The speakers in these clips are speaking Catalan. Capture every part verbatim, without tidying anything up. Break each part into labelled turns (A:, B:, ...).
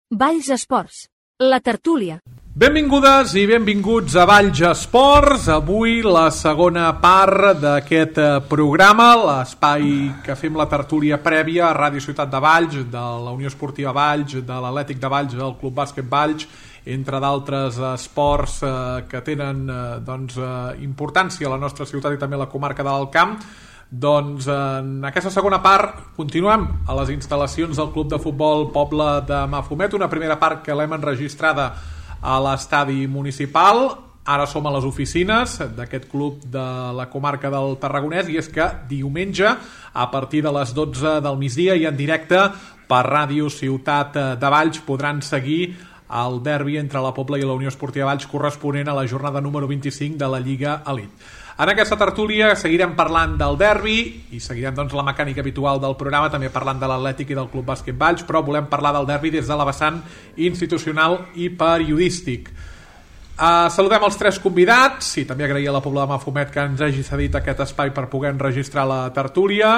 A: Valls Esports, la tertúlia.
B: Benvingudes i benvinguts a Valls Esports. Avui la segona part d'aquest programa, l'espai que fem la tertúlia prèvia a Ràdio Ciutat de Valls, de la Unió Esportiva Valls, de l'Atlètic de Valls, del Club Bàsquet Valls, entre d'altres esports eh, que tenen eh, doncs, eh, importància a la nostra ciutat i també a la comarca de l'Alt Camp. Doncs en aquesta segona part continuem a les instal·lacions del Club de Futbol Poble de Mafumet, una primera part que l'hem enregistrada a l'estadi municipal. Ara som a les oficines d'aquest club de la comarca del Tarragonès, i és que diumenge a partir de les dotze del migdia i en directe per Ràdio Ciutat de Valls podran seguir el derbi entre la Pobla i la Unió Esportiva Valls corresponent a la jornada número vint-i-cinc de la Lliga Elite. En aquesta tertúlia seguirem parlant del derbi i seguirem doncs, la mecànica habitual del programa, també parlant de l'Atlètic i del Club Bàsquet Valls, però volem parlar del derbi des de la vessant institucional i periodístic. Uh, saludem els tres convidats i també agrair a la Pobla de Mafumet que ens hagi cedit aquest espai per poder enregistrar la tertúlia.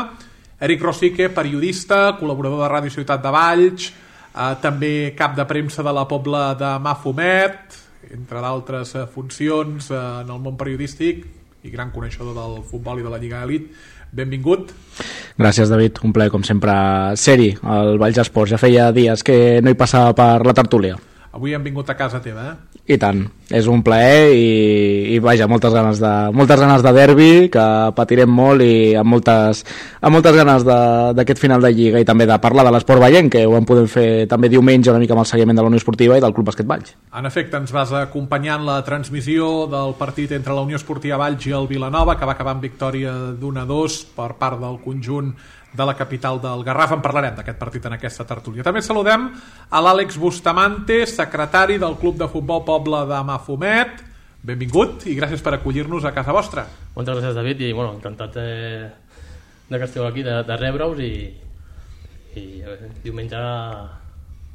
B: Eric Rosique, periodista, col·laborador de Ràdio Ciutat de Valls, uh, també cap de premsa de la Pobla de Mafumet, entre d'altres uh, funcions uh, en el món periodístic, i gran coneixedor del futbol i de la Lliga Elite. Benvingut.
C: Gràcies, David, un plaer com sempre ser-hi al Valls Esports. Ja feia dies que no hi passava per la tertúlia.
B: Avui hem vingut a casa teva, eh?
C: I tant, és un plaer i, i vaja, moltes ganes de, moltes ganes de derbi, que patirem molt, i amb moltes, amb moltes ganes d'aquest final de Lliga i també de parlar de l'esport veient, que ho en podem fer també diumenge una mica amb el seguiment de la Unió Esportiva i del Club Bàsquet Valls.
B: En efecte, ens vas acompanyar en la transmissió del partit entre la Unió Esportiva Valls i el Vilanova, que va acabar en victòria d'un a dos per part del conjunt de la capital del Garraf. En parlarem d'aquest partit en aquesta tertúlia. També saludem a l'Àlex Bustamante, secretari del Club de Futbol Poble de Mafumet. Benvingut i gràcies per acollir-nos a casa vostra.
D: Moltes gràcies, David, i bueno, encantat de, de que esteu aquí, de, de rebre-us i, i diumenge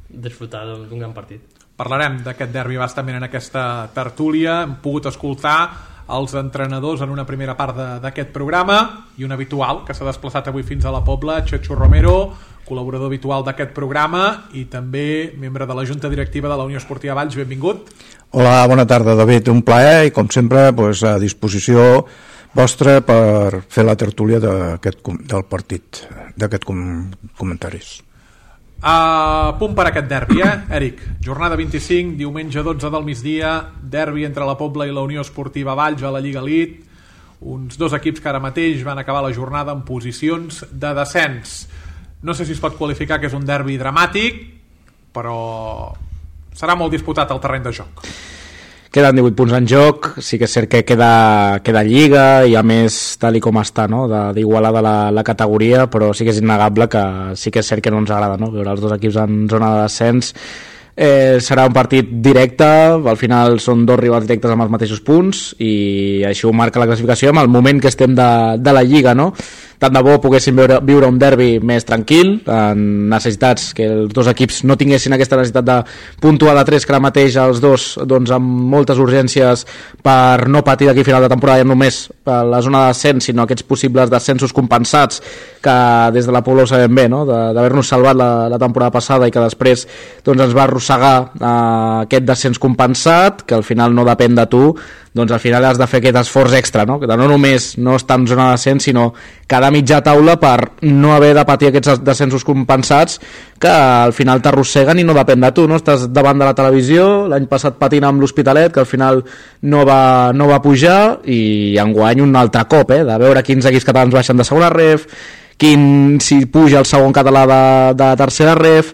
D: disfrutar d'un gran partit.
B: Parlarem d'aquest derbi bastament en aquesta tertúlia. Hem pogut escoltar els entrenadors en una primera part d'aquest programa i un habitual que s'ha desplaçat avui fins a la Pobla, Chechu Romero, col·laborador habitual d'aquest programa i també membre de la Junta Directiva de la Unió Esportiva Valls. Benvingut.
E: Hola, bona tarda, David, un plaer i com sempre pues, a disposició vostra per fer la tertúlia d'aquest, del partit, d'aquests com, comentaris.
B: A punt per aquest derbi, eh, Eric? Jornada vint-i-cinc, diumenge dotze del migdia, derbi entre la Pobla i la Unió Esportiva Valls a la Lliga Elite, uns dos equips que ara mateix van acabar la jornada en posicions de descens. No sé si es pot qualificar que és un derbi dramàtic, però serà molt disputat al terreny de joc.
C: Queden divuit punts en joc, sí que és cert que queda, queda Lliga i a més tal i com està, no? d'igualada la, la categoria, però sí que és innegable que sí que és cert que no ens agrada, no? Veure els dos equips en zona de descens. Eh, serà un partit directe, al final són dos rivals directes amb els mateixos punts i així ho marca la classificació amb el moment que estem de, de la Lliga, no? Tant de bo poguéssim viure, viure un derbi més tranquil, en necessitats que els dos equips no tinguessin aquesta necessitat de puntuar de tres, que ara mateix els dos doncs, amb moltes urgències per no patir d'aquí final de temporada ja només per la zona de descens, sinó aquests possibles descensos compensats que des de la Pobla ho sabem bé, no? d'haver-nos salvat la, la temporada passada i que després doncs, ens va arrossegar eh, aquest descens compensat, que al final no depèn de tu, doncs al final has de fer aquest esforç extra, no? Que no només no estar en zona de descens, sinó cada mitja taula per no haver de patir aquests descensos compensats que al final t'arrosseguen i no depèn de tu, no? Estàs davant de la televisió, l'any passat patint amb l'Hospitalet, que al final no va, no va pujar, i enguany un altre cop, eh? De veure quins equips catalans baixen de segona ref, quin si puja el segon català de, de tercera ref.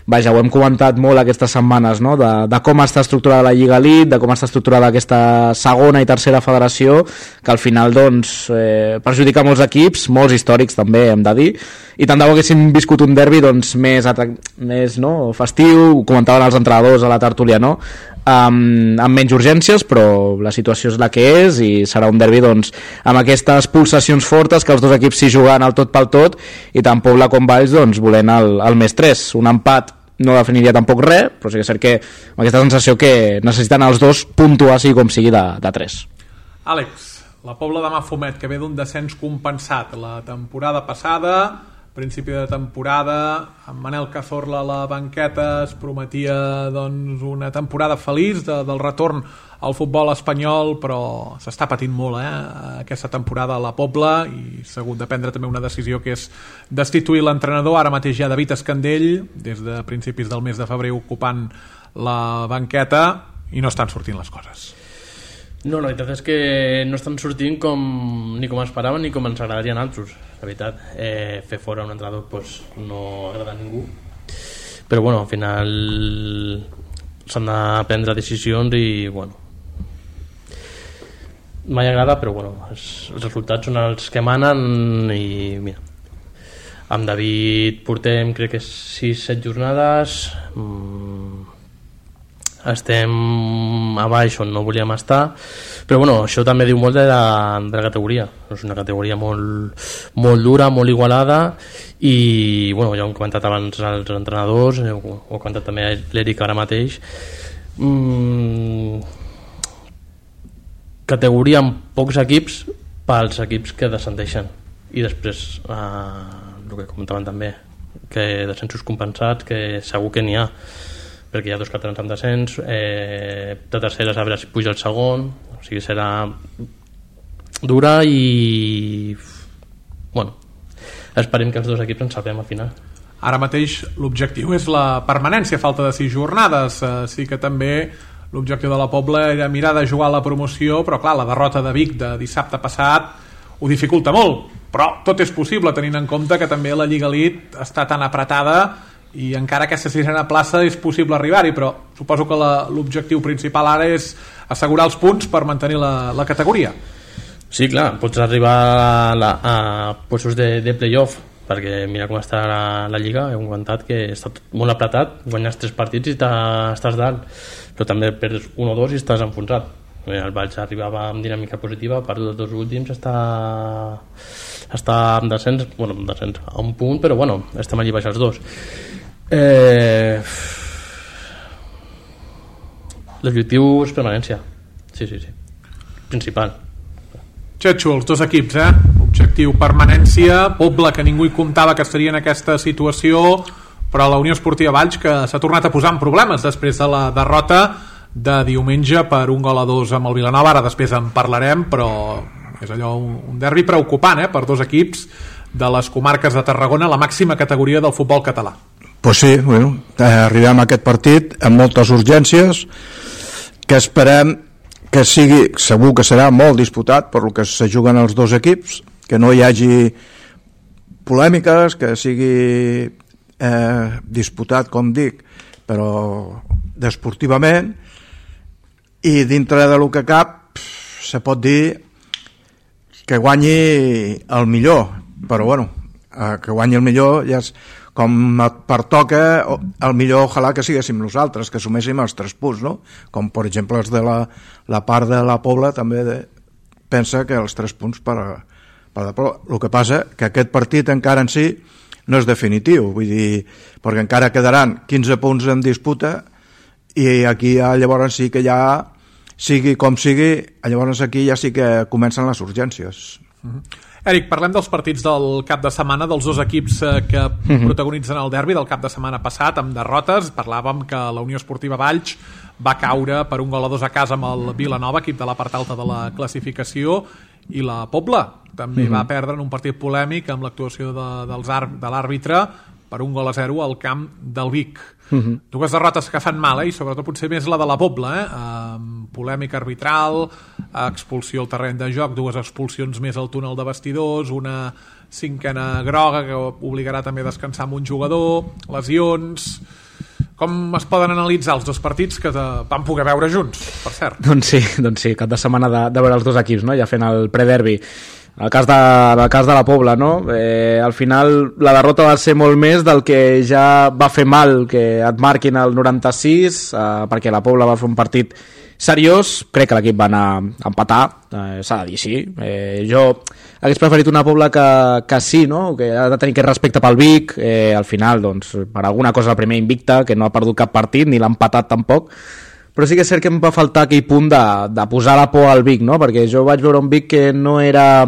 C: Vaja, ho hem comentat molt aquestes setmanes, no? de, de com està estructurada la Lliga Elite, de com està estructurada aquesta segona i tercera federació, que al final doncs, eh, perjudica molts equips, molts històrics també, hem de dir, i tant de bo haguéssim viscut un derbi doncs, més, més no? festiu, ho comentaven els entrenadors a la tertúlia, no? Um, amb menys urgències, però la situació és la que és i serà un derbi doncs, amb aquestes pulsacions fortes que els dos equips s'hi juguen al tot pel tot i tant Pobla com Valls doncs, volent el, el més tres, un empat no definiria tampoc res, però sí que és cert que amb aquesta sensació que necessiten els dos puntuar sigui com sigui de, de tres.
B: Àlex, la Pobla de Mafumet, que ve d'un descens compensat la temporada passada, principi de temporada, amb Manel Cazorla a la banqueta, es prometia doncs, una temporada feliç de, del retorn al futbol espanyol, però s'està patint molt eh, aquesta temporada a la Pobla i s'ha hagut de prendre també una decisió que és destituir l'entrenador. Ara mateix hi ha David Escandell, des de principis del mes de febrer ocupant la banqueta i no estan sortint les coses.
D: No, la veritat és que no estan sortint com, ni com esperàvem ni com ens agradarien altres, la veritat. Eh, fer fora un entrenador pues, no agrada a ningú, però bueno, al final s'han de prendre decisions i bueno, mai agrada, però bueno, els, els resultats són els que manen i mira, amb David portem crec que sis set jornades, mmm, estem a baix on no volíem estar, però bueno, això també diu molt de la, de la categoria. És una categoria molt, molt dura, molt igualada i bueno, ja ho hem comentat abans els entrenadors, ho, ho ha comentat també l'Eric ara mateix. mm, categoria amb pocs equips pels equips que descendeixen i després eh, el que comentaven també, que descensos compensats, que segur que n'hi ha, perquè hi ha dos catalans amb descens, eh, de terceres a veure si puja el segon, o sigui serà dura i bueno, esperem que els dos equips ens salvem al final.
B: Ara mateix l'objectiu és la permanència, falta de sis jornades, eh, sí que també l'objectiu de la Pobla era mirar de jugar a la promoció, però clar, la derrota de Vic de dissabte passat ho dificulta molt, però tot és possible tenint en compte que també la Lliga Elite està tan apretada i encara aquesta sisena plaça és possible arribar-hi, però suposo que l'objectiu principal ara és assegurar els punts per mantenir la, la categoria.
D: Sí, clar, pots arribar a, la, a puestos de, de playoff, perquè mira com està la, la Lliga, hem comentat que està tot molt apretat, guanyes tres partits i estàs dalt, però també perds un o dos i estàs enfonsat. El Valls arribava amb dinàmica positiva, per els dos últims està està amb descens, bueno, amb descens a un punt, però bueno, estem allí baix els dos. Eh... L'objectiu és permanència, sí, sí, sí, principal.
B: Xetxo, els dos equips, eh? Objectiu permanència, Pobla, que ningú hi comptava que estaria en aquesta situació, però la Unió Esportiva Valls, que s'ha tornat a posar en problemes després de la derrota de diumenge per un gol a dos amb el Vilanova. Ara després en parlarem, però és allò un derbi preocupant eh, per dos equips de les comarques de Tarragona, la màxima categoria del futbol català.
E: Pues sí, bueno, arribem a aquest partit amb moltes urgències que esperem que sigui, segur que serà molt disputat per lo que se juguen els dos equips, que no hi hagi polèmiques, que sigui eh, disputat, com dic, però desportivament, i dintre de lo que cap se pot dir que guanyi el millor, però bueno, eh, que guanyi el millor ja és, com pertoca, el millor ojalà que siguéssim nosaltres, que assuméssim els tres punts, no? Com per exemple els de la, la part de la Pobla també de, pensa que els tres punts per, per la Pobla. El que passa que aquest partit encara en si no és definitiu, vull dir, perquè encara quedaran quinze punts en disputa i aquí ja, llavors sí que ja sigui com sigui, llavors aquí ja sí que comencen les urgències.
B: Mm-hmm. Eric, parlem dels partits del cap de setmana, dels dos equips que mm-hmm. protagonitzen el derbi del cap de setmana passat amb derrotes. Parlàvem que la Unió Esportiva Valls va caure per un gol a dos a casa amb el Vilanova, equip de la part alta de la classificació, i la Pobla també mm-hmm. va perdre en un partit polèmic amb l'actuació de, dels ar, de l'àrbitre per un gol a zero al camp del Vic. Mm-hmm. Dues derrotes que fan mal, eh? I sobretot potser més la de la Pobla, eh? Um, polèmica arbitral, expulsió al terreny de joc, dues expulsions més al túnel de vestidors, una cinquena groga que obligarà també a descansar amb un jugador, lesions. Com es poden analitzar els dos partits que van poder veure junts, per cert?
C: Doncs sí, doncs sí, cap de setmana de, de veure els dos equips, no? Ja fent el prederbi. En el cas de, en el cas de la Pobla, no? Eh, al final la derrota va ser molt més del que ja va fer mal que et marquin el noranta-sis, eh, perquè la Pobla va fer un partit seriós. Crec que l'equip va anar a empatar, eh, s'ha de dir, sí. Eh, jo hagués preferit una Pobla que, que sí, no? Que ha de tenir aquest respecte pel Vic. Eh, al final, doncs, per alguna cosa el primer invicta, que no ha perdut cap partit, ni l'ha empatat tampoc. Però sí que és cert que em va faltar aquell punt de, de posar la por al Vic, no? Perquè jo vaig veure un Vic que no era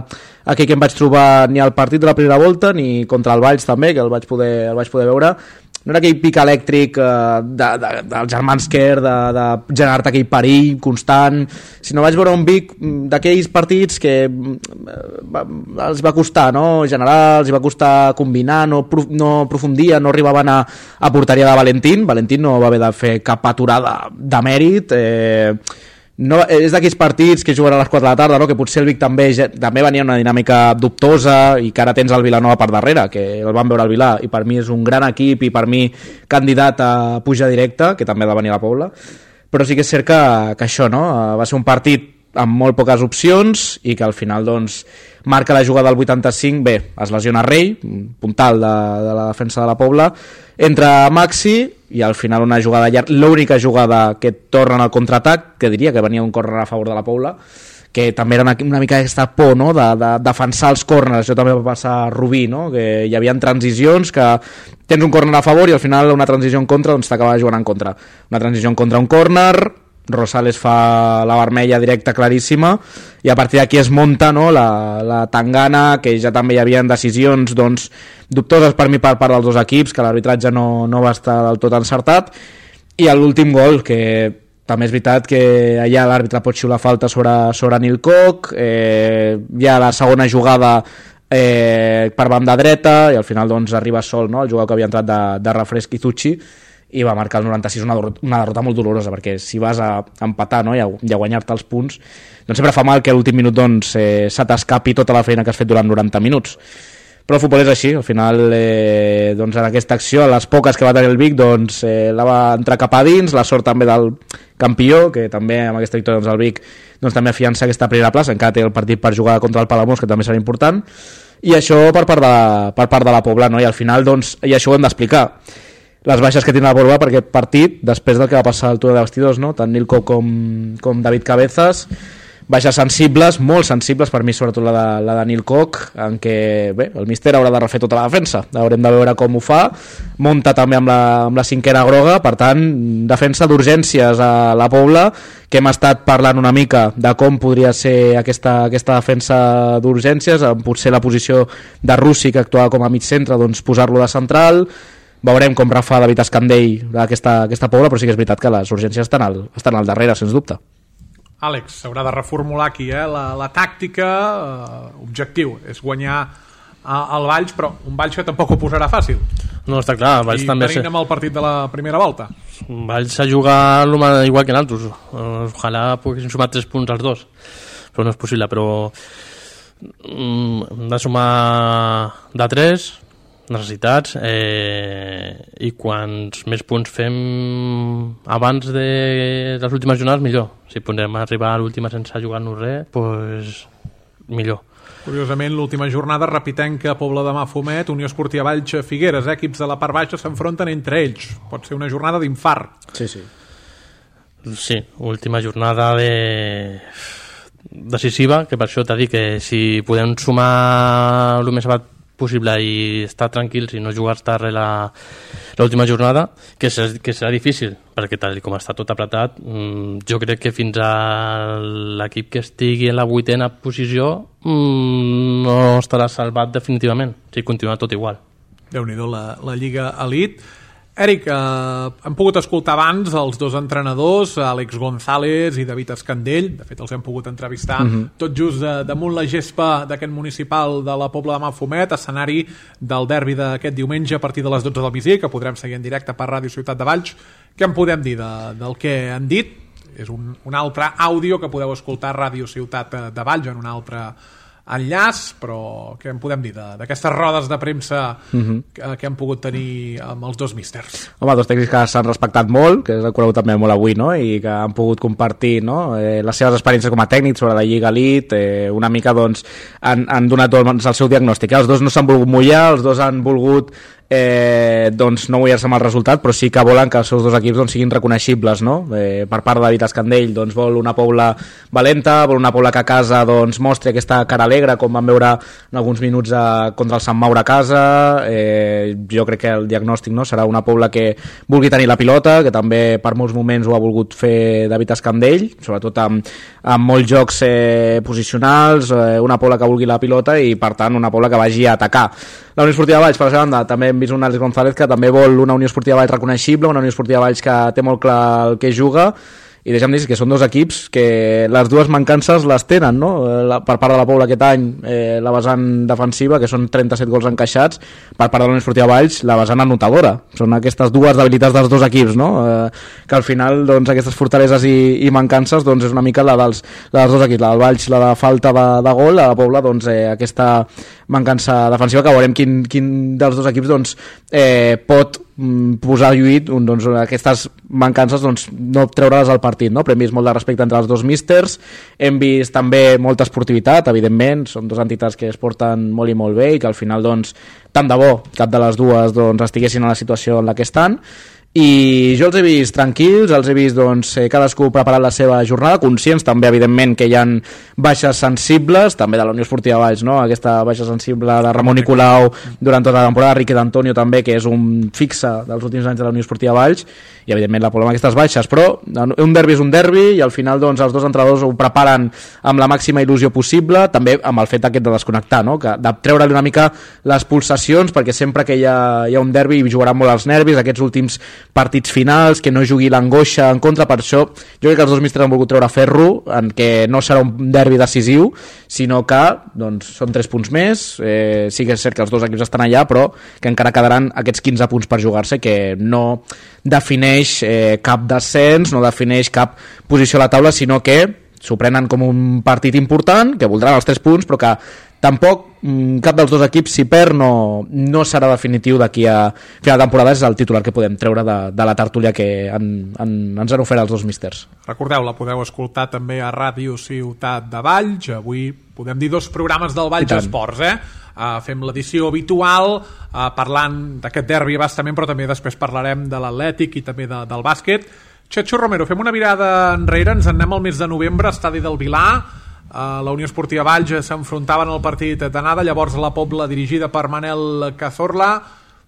C: aquí que em vaig trobar ni al partit de la primera volta ni contra el Valls també, que el vaig poder, el vaig poder veure. No era aquell pic elèctric eh, de, de, dels germans Kerr, de, de generar-te aquell perill constant, sinó vaig veure un Vic d'aquells partits que va, els va costar, no? Generar, els va costar combinar, no, no aprofundia, no arribaven a, a porteria de Valentín. Valentín no va haver de fer cap aturada de mèrit, eh, no, és d'aquells partits que juguen a les quatre de la tarda, no? Que potser el Vic també, també venia una dinàmica dubtosa i que ara tens el Vilanova per darrere, que el van veure al Vilà i per mi és un gran equip i per mi candidat a pujar directe, que també ha de venir a la Pobla, però sí que és cert que, que això, no? Va ser un partit amb molt poques opcions i que al final doncs marca la jugada del vuitanta-cinc, bé, es lesiona Rei, puntal de, de la defensa de la Pobla, entra Maxi i al final una jugada llarga, l'única jugada que torna al contraatac, que diria que venia un córner a favor de la Pobla, que també era una, una mica aquesta por, no? de, de defensar els córners. Això també va passar a Rubí, no? Que hi havia transicions que tens un córner a favor i al final una transició en contra doncs t'acaba jugant en contra. Una transició en contra, un córner, Rosales fa la vermella directa claríssima i a partir d'aquí es munta, no? la, la tangana, que ja també hi havia decisions doncs, dubtoses per mi per part dels dos equips, que l'arbitratge no, no va estar del tot encertat, i l'últim gol, que també és veritat que allà l'àrbitre pot xiular falta sobre, sobre Nil Koch, eh, hi ha la segona jugada eh, per banda dreta i al final doncs, arriba sol, no? El jugador que havia entrat de, de refresc Izuchi, i va marcar el noranta-sis una, una derrota molt dolorosa, perquè si vas a empatar, no? i, a, i a guanyar-te els punts, doncs sempre fa mal que a l'últim minut doncs, eh, se t'escapi tota la feina que has fet durant noranta minuts. Però el futbol és així, al final eh, doncs en aquesta acció, les poques que va tenir el Vic, doncs, eh, la va entrar cap a dins, la sort també del campió, que també amb aquesta victòria doncs, el Vic doncs, també afiança aquesta primera plaça, encara té el partit per jugar contra el Palamós, que també serà important, i això per part de, per part de la Pobla, no? I al final doncs, i això ho hem d'explicar, les baixes que tindrà la Pobla per aquest partit, després del que va passar al túnel de vestidors, no? Tant Nil Koch com, com David Cabezas, baixes sensibles, molt sensibles, per mi sobretot la de, la de Nil Koch, en què bé, el míster haurà de refer tota la defensa, haurem de veure com ho fa, munta també amb la, amb la cinquena groga, per tant, defensa d'urgències a la Pobla, que hem estat parlant una mica de com podria ser aquesta, aquesta defensa d'urgències, amb potser la posició de Russi, que actuava com a mig centre, doncs posar-lo de central. Veurem com refà David Escandell aquesta, aquesta Pobla, però sí que és veritat que les urgències estan al, estan al darrere, sens dubte.
B: Àlex, s'haurà de reformular aquí, eh? la, la tàctica, eh, objectiu, és guanyar al Valls, però un Valls que tampoc ho posarà fàcil.
D: No, està clar, el Valls
B: I
D: també...
B: I venint amb el partit de la primera volta.
D: El Valls s'ha jugat igual que nosaltres. Ojalà poguessin sumar tres punts als dos, però no és possible, però mm, hem de sumar de tres necessitats, eh, i quants més punts fem abans de les últimes jornades, millor. Si podem arribar a l'última sense jugar-nos res, doncs millor.
B: Curiosament, l'última jornada repitem que Pobla de Mafumet, Unió Esportiva Valls, Figueres, eh? Equips de la part baixa s'enfronten entre ells. Pot ser una jornada d'infart.
C: Sí, sí.
D: Sí, última jornada de... decisiva, que per això t'ha dit que si podem sumar el més abat possible i estar tranquils i no jugar-te res l'última jornada, que, serà, que serà difícil, perquè tal com està tot apretat, jo crec que fins a l'equip que estigui en la vuitena posició no estarà salvat definitivament, si continua tot igual.
B: Déu-n'hi-do la, la Lliga Elite. Eric, eh, hem pogut escoltar abans els dos entrenadors, Àlex González i David Escandell, de fet els hem pogut entrevistar mm-hmm. tot just de, damunt la gespa d'aquest municipal de la Pobla de Mafumet, escenari del derbi d'aquest diumenge a partir de les dotze del migdia, que podrem seguir en directe per Ràdio Ciutat de Valls. Què en podem dir de, del que han dit? És un, un altre àudio que podeu escoltar a Ràdio Ciutat de Valls en un altre enllaç, però què en podem dir d'aquestes rodes de premsa uh-huh. que, que han pogut tenir amb els dos místers?
C: Home, dos tècnics que s'han respectat molt, que s'ha conegut també molt avui, no? I que han pogut compartir, no? eh, les seves experiències com a tècnics sobre la Lliga Elite, eh, una mica doncs han, han donat doncs, el seu diagnòstic. Els dos no s'han volgut mullar, els dos han volgut eh, doncs no mullar-se amb el resultat, però sí que volen que els seus dos equips doncs, siguin reconeixibles, no? Eh, per part de David Escandell doncs, vol una Pobla valenta, vol una Pobla que a casa doncs, mostri aquesta cara alegre, com vam veure en alguns minuts a, contra el Sant Maure a casa. Eh, jo crec que el diagnòstic, no?, serà una Pobla que vulgui tenir la pilota, que també per molts moments ho ha volgut fer David Escandell, sobretot amb, amb molts jocs eh, posicionals, eh, una Pobla que vulgui la pilota i per tant una Pobla que vagi a atacar. La Unió Esportiva Valls, per la seva banda, també hem vist un Àlex González que també vol una Unió Esportiva Valls reconeixible, una Unió Esportiva Valls que té molt clar el que juga, i deixa'm dir que són dos equips que les dues mancances les tenen, no? La, per part de la Pobla aquest any, eh, la vessant defensiva, que són trenta-set gols encaixats, per part de la Unió Esportiva Valls, la vessant anotadora. Són aquestes dues debilitats dels dos equips, no? Eh, que al final, doncs, aquestes fortaleses i, i mancances, doncs, és una mica la dels, la dels dos equips, la del Valls, la de falta de, de gol, la de la Pobla, doncs, eh, aquesta mancança defensiva, que veurem quin, quin dels dos equips, doncs, eh, pot posar a lluit doncs, aquestes mancances, doncs, no treure-les al partit, no? Però hem vist molt de respecte entre els dos místers, hem vist també molta esportivitat, evidentment, són dues entitats que es porten molt i molt bé i que al final, doncs, tant de bo cap de les dues doncs, estiguessin a la situació en la que estan, i jo els he vist tranquils, els he vist doncs, cadascú preparant la seva jornada, conscients també evidentment que hi ha baixes sensibles, també de la Unió Esportiva Valls, no? Aquesta baixa sensible de Ramon Nicolau durant tota la temporada, Riqui d'Antonio també, que és un fixe dels últims anys de la Unió Esportiva Valls, i evidentment la Pobla amb aquestes baixes, però un derbi és un derbi i al final doncs, els dos entrenadors ho preparen amb la màxima il·lusió possible, també amb el fet aquest de desconnectar, no? Que de treure-li una mica les pulsacions, perquè sempre que hi ha, hi ha un derbi jugaran molt els nervis, aquests últims partits finals, que no jugui l'angoixa en contra. Per això jo crec que els dos místers han volgut treure ferro, en què no serà un derbi decisiu, sinó que doncs, són tres punts més, eh, sí que és cert que els dos equips estan allà, però que encara quedaran aquests quinze punts per jugar-se, que no defineix eh, cap descens, no defineix cap posició a la taula, sinó que s'ho prenen com un partit important, que voldran els tres punts, però que tampoc cap dels dos equips, si perd, no, no serà definitiu d'aquí a final de temporada. És el titular que podem treure de, de la tertúlia que han, han, ens han ofert els dos místers.
B: Recordeu, la podeu escoltar també a Ràdio Ciutat de Valls. Avui podem dir dos programes del Valls Esports, eh? Uh, fem l'edició habitual uh, parlant d'aquest derbi bastament, però també després parlarem de l'Atlètic i també de, del bàsquet. Checho Romero, fem una mirada enrere, ens en anem al mes de novembre, estadi del Vilar. Uh, la Unió Esportiva Valls s'enfrontaven al partit d'anada, llavors la Pobla dirigida per Manel Cazorla,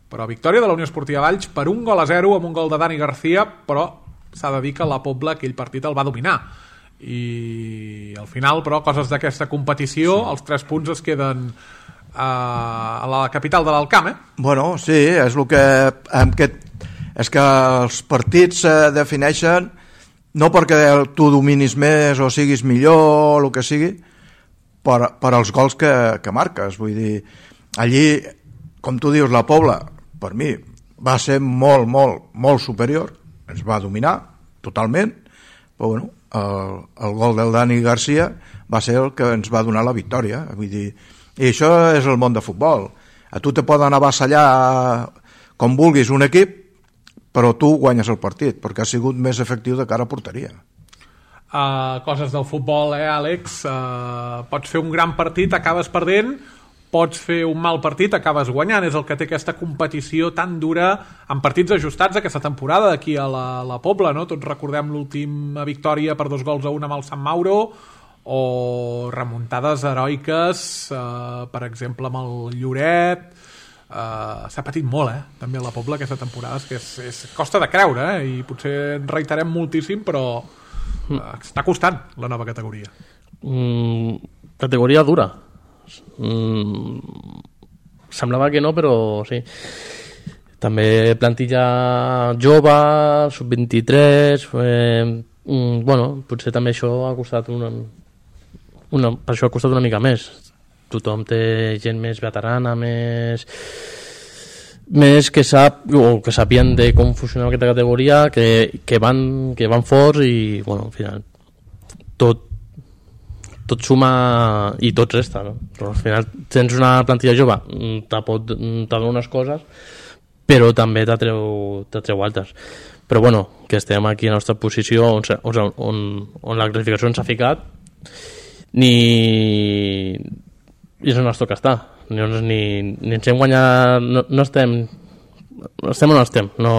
B: però victòria de la Unió Esportiva Valls per un gol a zero amb un gol de Dani García, però s'ha de dir que la Pobla aquell partit el va dominar i al final, però, coses d'aquesta competició, sí. Els tres punts es queden uh, a la capital de l'Alcamp, eh?
E: Bueno, sí, és el que amb aquest, és que els partits se defineixen no perquè tu dominis més o siguis millor o el que sigui, per, per als gols que, que marques. Vull dir, allí, com tu dius, la Pobla, per mi, va ser molt, molt, molt superior, ens va dominar totalment, però bueno, el, el gol del Dani García va ser el que ens va donar la victòria. Vull dir, i això és el món de futbol. A tu te poden avassallar com vulguis un equip, però tu guanyes el partit, perquè ha sigut més efectiu de cara a porteria.
B: Uh, coses del futbol, eh, Àlex? Uh, pots fer un gran partit, acabes perdent, pots fer un mal partit, acabes guanyant. És el que té aquesta competició tan dura en partits ajustats aquesta temporada d'aquí a la, la Pobla, no? Tots recordem l'última victòria per dos gols a un amb el Sant Mauro, o remuntades heroiques, uh, per exemple, amb el Lloret. Uh, s'ha patit molt, eh? També a la Pobla aquesta temporada, és que és, és, costa de creure, eh? I potser en reiterem moltíssim, però uh, està costant la nova categoria.
D: Mm, categoria dura. Mm, semblava que no, però sí. També plantilla jove, sub vint-i-tres, eh, mm, bueno, potser també això ha costat una, una, per això ha costat una mica més. Tothom té gent més veterana, més més que sap o que sapien de com funciona aquesta categoria, que, que, van, que van forts i bueno, al final tot tot suma i tot resta, no? Però al final tens una plantilla jove, te pot te dona unes coses, però també t'atreu t'atreu altres. Però bueno, que estem aquí a la nostra posició on, on, on, on la classificació ens ha ficat, ni i és on ens toca estar, ni, ni, ni ens hem guanyat, no, no estem estem on estem, no...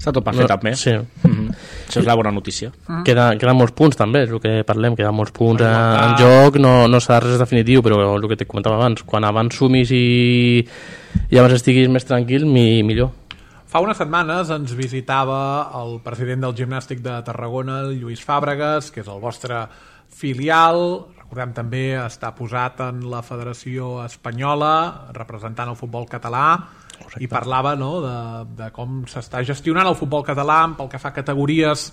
C: Està tot per fer,
D: no,
C: també.
D: Sí.
C: Mm-hmm. Això és la bona notícia.
D: Mm. Queda, queden molts punts, també, és el que parlem, queden molts punts en, en joc, no, no serà res definitiu, però el que te comentava abans, quan abans sumis i, i abans estiguis més tranquil, mi, millor.
B: Fa unes setmanes ens visitava el president del Gimnàstic de Tarragona, el Lluís Fàbregas, que és el vostre filial. Recordem també està posat en la Federació Espanyola, representant el futbol català. Correcte. I parlava, no, de, de com s'està gestionant el futbol català pel que fa a categories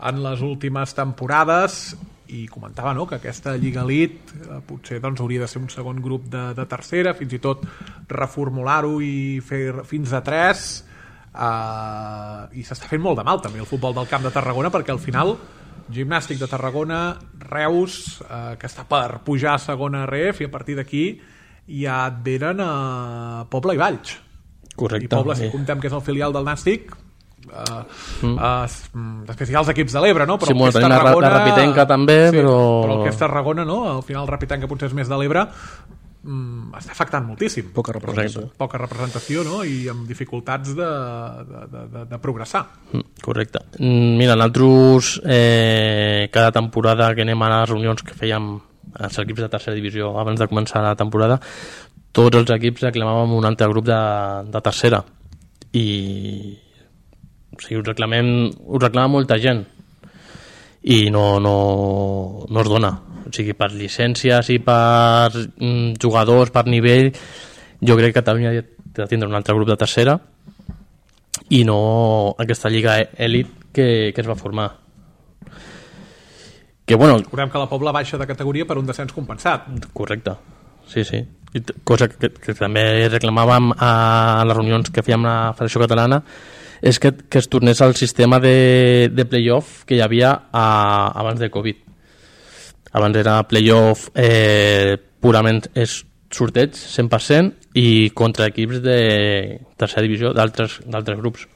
B: en les últimes temporades, i comentava, no, que aquesta Lliga Elite eh, potser doncs, hauria de ser un segon grup de, de tercera, fins i tot reformular-ho i fer fins a tres, eh, i s'està fent molt de mal també el futbol del Camp de Tarragona, perquè al final Gimnàstic de Tarragona, Reus, eh, que està per pujar a segona R F, i a partir d'aquí ja et venen a Pobla i Valls.
D: Correcte.
B: I Poble, si comptem que és el filial del Nàstic, uh, mm. uh, després hi ha els equips de l'Ebre, no? Però
D: sí, molt, tenim
B: Tarragona,
D: la, la Rapitenca també,
B: sí,
D: però...
B: però el que és Tarragona, no? Al final Rapitenca potser és més de l'Ebre, um, està afectant moltíssim.
C: Poca representació.
B: Correcte. Poca representació, no? I amb dificultats de, de, de, de, de progressar.
D: Correcte. Mira, nosaltres eh, cada temporada que anem a les reunions que fèiem els equips de tercera divisió abans de començar la temporada, tots els equips reclamàvem un altre grup de, de tercera, i o sigui, ho reclamem, ho reclama molta gent i no, no, no es dona, o sigui, per llicències i per mm, jugadors, per nivell, jo crec que Catalunya ha de tindre un altre grup de tercera i no aquesta lliga elit que, que es va formar. Que, bueno,
B: recordem que la Pobla baixa de categoria per un descens compensat.
D: Correcte, sí, sí. I cosa que, que també reclamàvem a les reunions que fèiem a la Federació Catalana és que, que es tornés al sistema de, de play-off que hi havia a, abans de Covid. Abans era play-off eh, purament és sorteig, cent per cent, i contra equips de tercera divisió d'altres grups.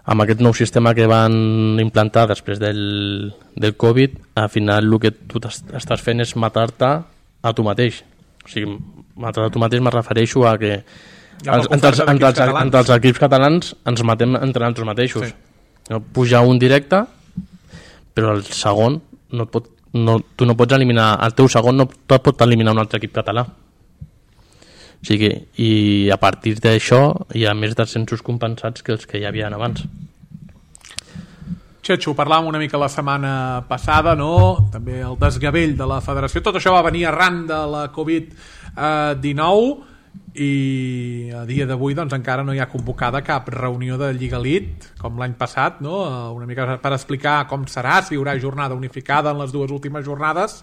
D: Amb aquest nou sistema que van implantar després del, del Covid, al final el que tu estàs fent és matar-te a tu mateix. O sigui, matar a tu mateix me refereixo a que els, entre, els, entre, els, entre els equips catalans ens matem entre nosaltres mateixos. Sí. Puja un directe, però el segon no pot, no, tu no pots eliminar, el teu segon no et pot eliminar un altre equip català. O sigui, i a partir d'això hi ha més descensos compensats que els que hi havia abans.
B: Xetxo, parlàvem una mica la setmana passada, no? També el desgavell de la federació. Tot això va venir arran de la covid dinou i a dia d'avui doncs, encara no hi ha convocada cap reunió de Lliga Elite, com l'any passat, no? Una mica per explicar com serà, si hi haurà jornada unificada en les dues últimes jornades,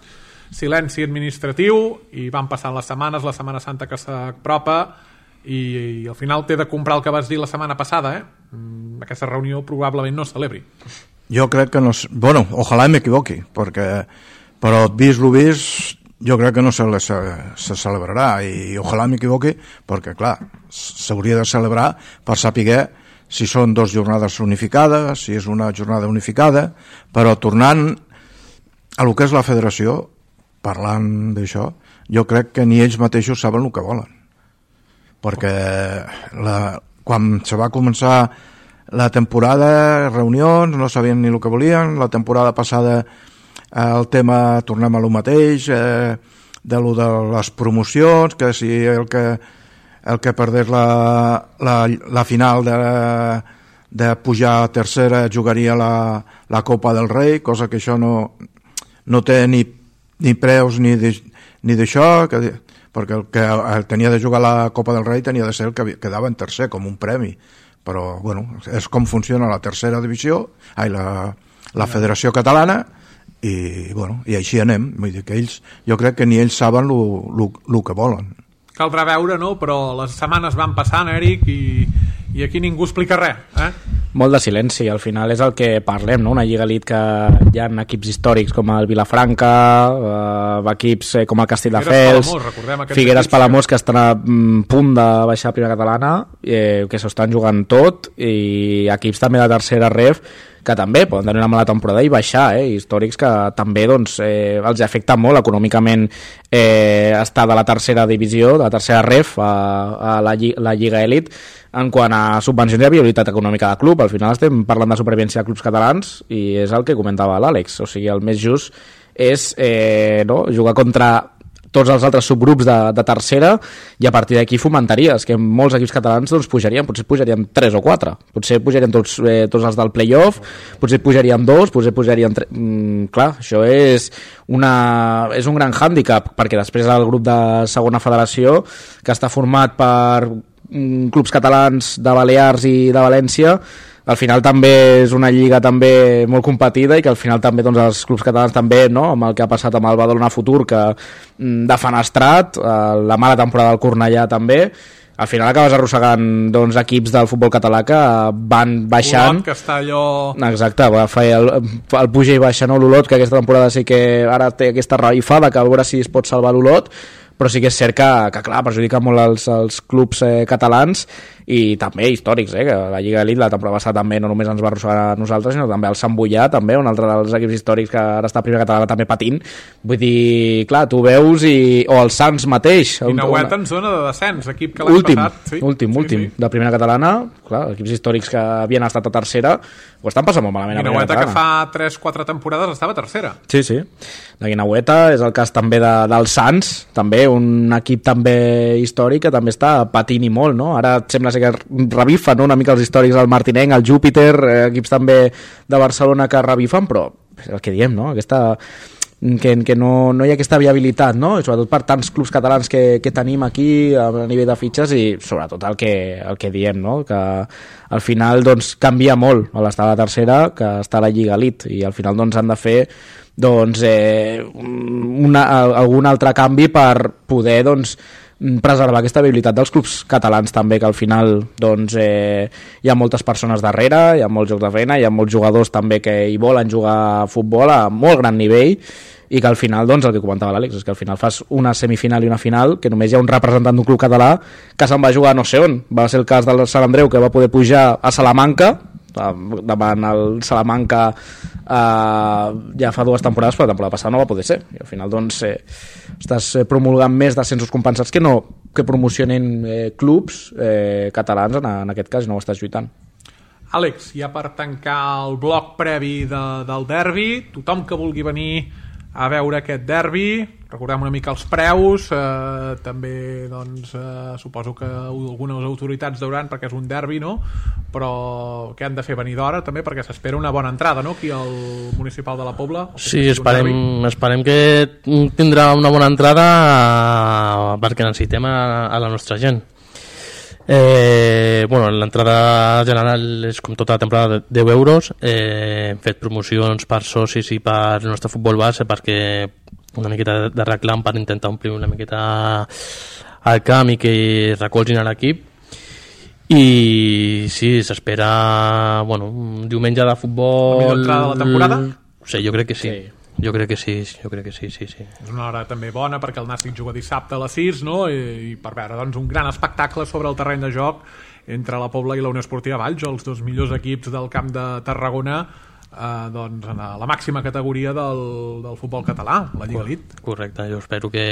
B: silenci administratiu, i van passant les setmanes, la Setmana Santa que s'apropa, i, i al final t'he de comprar el que vas dir la setmana passada, eh? Aquesta reunió probablement no es celebri.
E: Jo crec que no... Bueno, ojalà m'equivoqui, perquè però vist lo vist, jo crec que no se, se, se celebrarà, i ojalà m'equivoqui, perquè clar, s'hauria de celebrar per saber si són dues jornades unificades, si és una jornada unificada, però tornant a lo que és la federació, parlant d'això, jo crec que ni ells mateixos saben el que volen, perquè la, quan se va començar la temporada, reunions, no sabien ni el que volien. La temporada passada el tema, tornem a lo mateix, eh, de lo de les promocions, que si el que, el que perdés la, la, la final de, de pujar a tercera jugaria la, la Copa del Rei, cosa que això no, no té ni, ni preus ni d'això, perquè el que el tenia de jugar la Copa del Rei tenia de ser el que quedava en tercer, com un premi. Però, bueno, és com funciona la tercera divisió, ai, la, la Federació Catalana, i, bueno, i així anem. Vull dir que ells, jo crec que ni ells saben el que volen.
B: Caldrà veure, no? Però les setmanes van passant, Eric, i, i aquí ningú explica res, eh?
C: Molt de silenci, al final és el que parlem, no? Una Lliga Elite que hi ha equips històrics com el Vilafranca, eh, equips com el Castelldefels, Figueres Palamós, que estan a punt de baixar a primera catalana, eh, que s'ho estan jugant tot, i equips també de tercera R E F que també poden tenir una mala temporada i baixar, eh? Històrics que també doncs, eh, els afecta molt econòmicament eh, estar de la tercera divisió, de la tercera ref a, a la, lli la Lliga Elit en quant a subvencions i viabilitat econòmica de club. Al final estem parlant de supervivència de clubs catalans i és el que comentava l'Àlex, o sigui, el més just és eh, no, jugar contra tots els altres subgrups de, de tercera i a partir d'aquí fomentaries que molts equips catalans doncs, pujarien, potser pujarien tres o quatre, potser pujarien tots, eh, tots els del playoff, potser pujarien dos, potser pujarien tres. Mm, clar, això és, una, és un gran hàndicap, perquè després el grup de segona federació, que està format per mm, clubs catalans de Balears i de València, al final també és una lliga també molt competida i que al final també doncs, els clubs catalans també, no? Amb el que ha passat amb el Badalona Futur, que mm, defenestrat, eh, la mala temporada del Cornellà també, al final acabes arrossegant doncs, equips del futbol català que van baixant.
B: Olot, que està allò...
C: Exacte, va fer el, el puja i baixa, no? L'Olot, que aquesta temporada sí que ara té aquesta revifada, que a veure si es pot salvar l'Olot, però sí que és cert que, que clar, perjudica molt els, els clubs eh, catalans i també històrics, eh, que la Lliga Elite la temporada passada també no només ens va arrossegar a nosaltres, sinó també el Sant Boià, també, un altre dels equips històrics que ara està a primera catalana també patint. Vull dir, clar, tu veus i... o el Sants mateix.
B: Guinauet en zona de descens, equip que l'any
C: últim,
B: passat... Sí,
C: últim, sí, últim, sí. De primera catalana, clar, equips històrics que havien estat a tercera ho estan passant molt malament.
B: Guinaueta, que fa tres quatre temporades estava a tercera.
C: Sí, sí. La Guinaueta és el cas també de, del Sants, també un equip també històric que també està patint i molt, no? Ara sembla ser que revifen, no? Una mica els històrics del Martinenc, el Júpiter, eh, equips també de Barcelona que revifen, però és el que diem, no? Aquesta... que, que no, no hi ha aquesta viabilitat, no? I sobretot per tants clubs catalans que, que tenim aquí a nivell de fitxes i sobretot el que, el que diem, no? Que al final doncs, canvia molt a l'estar a la tercera que està a la Lliga Elite i al final doncs, han de fer doncs, eh, una, algun altre canvi per poder doncs, preservar aquesta viabilitat dels clubs catalans també, que al final doncs, eh, hi ha moltes persones darrere, hi ha molts jocs de feina, hi ha molts jugadors també que hi volen jugar a futbol a molt gran nivell i que al final, doncs, el que comentava l'Àlex, és que al final fas una semifinal i una final que només hi ha un representant d'un club català que se'n va jugar no sé on. Va ser el cas del Sant Andreu, que va poder pujar a Salamanca, davant el Salamanca eh, ja fa dues temporades, però la temporada passada no va poder ser. I al final, doncs, eh, estàs promulgant més descensos compensats que no que promocionen eh, clubs eh, catalans, en, en aquest cas, i no ho estàs lluitant.
B: Àlex, ja per tancar el bloc previ de, del derbi, tothom que vulgui venir a veure aquest derbi, recordem una mica els preus, eh, també doncs, eh, suposo que algunes autoritats deuran perquè és un derbi, no? Però què han de fer, venir d'hora també, perquè s'espera una bona entrada, no? Aquí al municipal de la Pobla.
D: Sí, esperem, esperem que tindrà una bona entrada perquè necessitem a, a la nostra gent. Eh, bueno, l'entrada general és com tota la temporada de deu euros. Eh, hem fet promocions per socis i per el nostre futbol base perquè una miqueta de reclam per intentar omplir una miqueta al camp i que recolzin a l'equip. I sí, s'espera bueno, un diumenge de futbol.
B: La millor entrada de la temporada?
D: Sí, jo crec que sí, sí. Jo crec que sí, jo crec que sí, sí, sí.
B: És una hora també bona perquè el Nàstic juga dissabte a les sis, no? I, i per veure doncs, un gran espectacle sobre el terreny de joc entre la Pobla i la Unió Esportiva Valls, els dos millors equips del camp de Tarragona, eh, doncs, en la màxima categoria del, del futbol català, la Lliga Elite.
D: Correcte, jo espero que,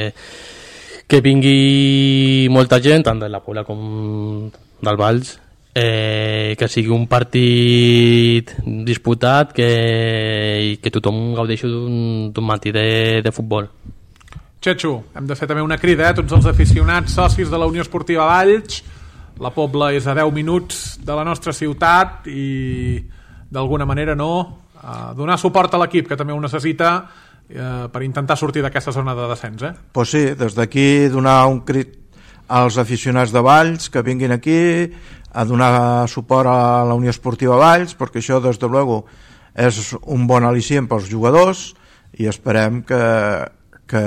D: que vingui molta gent, tant de la Pobla com del Valls, eh, que sigui un partit disputat, que, i que tothom gaudeixi d'un matí de, de futbol.
B: Txetxo, hem de fer també una crida a eh? tots els aficionats socis de la Unió Esportiva Valls. La Pobla és a deu minuts de la nostra ciutat i d'alguna manera no eh, donar suport a l'equip, que també ho necessita eh, per intentar sortir d'aquesta zona de descens. Eh?
E: Pues sí, des d'aquí donar un crit als aficionats de Valls que vinguin aquí a donar suport a la Unió Esportiva Valls, perquè això des de luego és un bon al·licient pels jugadors i esperem que, que,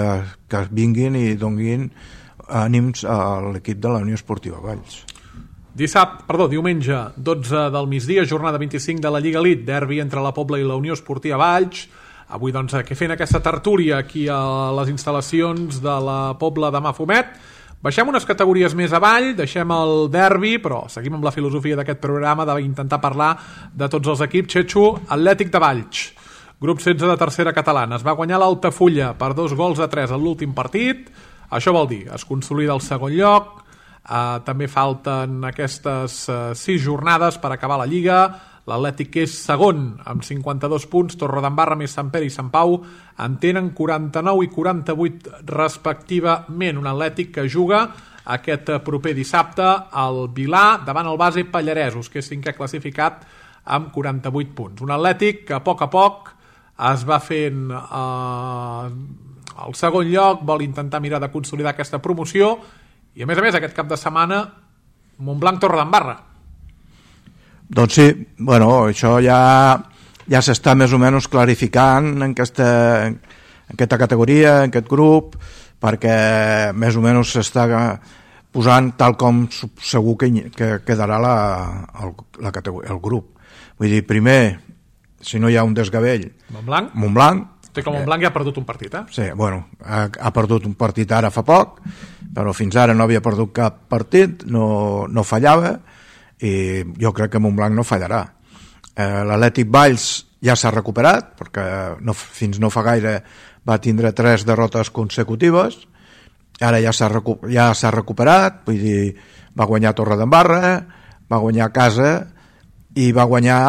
E: que vinguin i donin ànims a l'equip de la Unió Esportiva Valls.
B: Dissabte, perdó, diumenge dotze del migdia, jornada vint-i-cinc de la Lliga Elite, derbi entre la Pobla i la Unió Esportiva Valls. Avui doncs aquí fent aquesta tertúlia aquí a les instal·lacions de la Pobla de Mafumet. Baixem unes categories més avall, deixem el derbi, però seguim amb la filosofia d'aquest programa d'intentar parlar de tots els equips. Xetxo, Atlètic de Valls, grup setze de tercera catalana. Es va guanyar l'Altafulla per dos gols a tres en l'últim partit. Això vol dir, es consolida el segon lloc. Uh, també falten aquestes uh, sis jornades per acabar la Lliga. L'Atlètic és segon amb cinquanta-dos punts, Torredembarra més Sant Pere i Sant Pau en tenen quaranta-nou i quaranta-vuit respectivament. Un Atlètic que juga aquest proper dissabte al Vilà davant el base Pallaresos, que és cinquè classificat amb quaranta-vuit punts. Un Atlètic que a poc a poc es va fent eh, el segon lloc, vol intentar mirar de consolidar aquesta promoció i a més a més aquest cap de setmana Montblanc Torredembarra.
E: Doncs sí, bueno, això ja, ja s'està més o menys clarificant en aquesta, en aquesta categoria, en aquest grup, perquè més o menys s'està posant tal com segur que, que quedarà la, el, la categoria, el grup. Vull dir, primer, si no hi ha un desgavell,
B: Montblanc,
E: Montblanc
B: té que Montblanc ja ha perdut un partit, eh?
E: Sí, bueno, ha, ha perdut un partit ara fa poc, però fins ara no havia perdut cap partit, no, no fallava, i jo crec que Montblanc no fallarà. Eh, L'Atlètic Valls ja s'ha recuperat, perquè no, fins no fa gaire va tindre tres derrotes consecutives, ara ja s'ha recu ja s'ha recuperat, vull dir, va guanyar Torredembarra, va guanyar a casa i va guanyar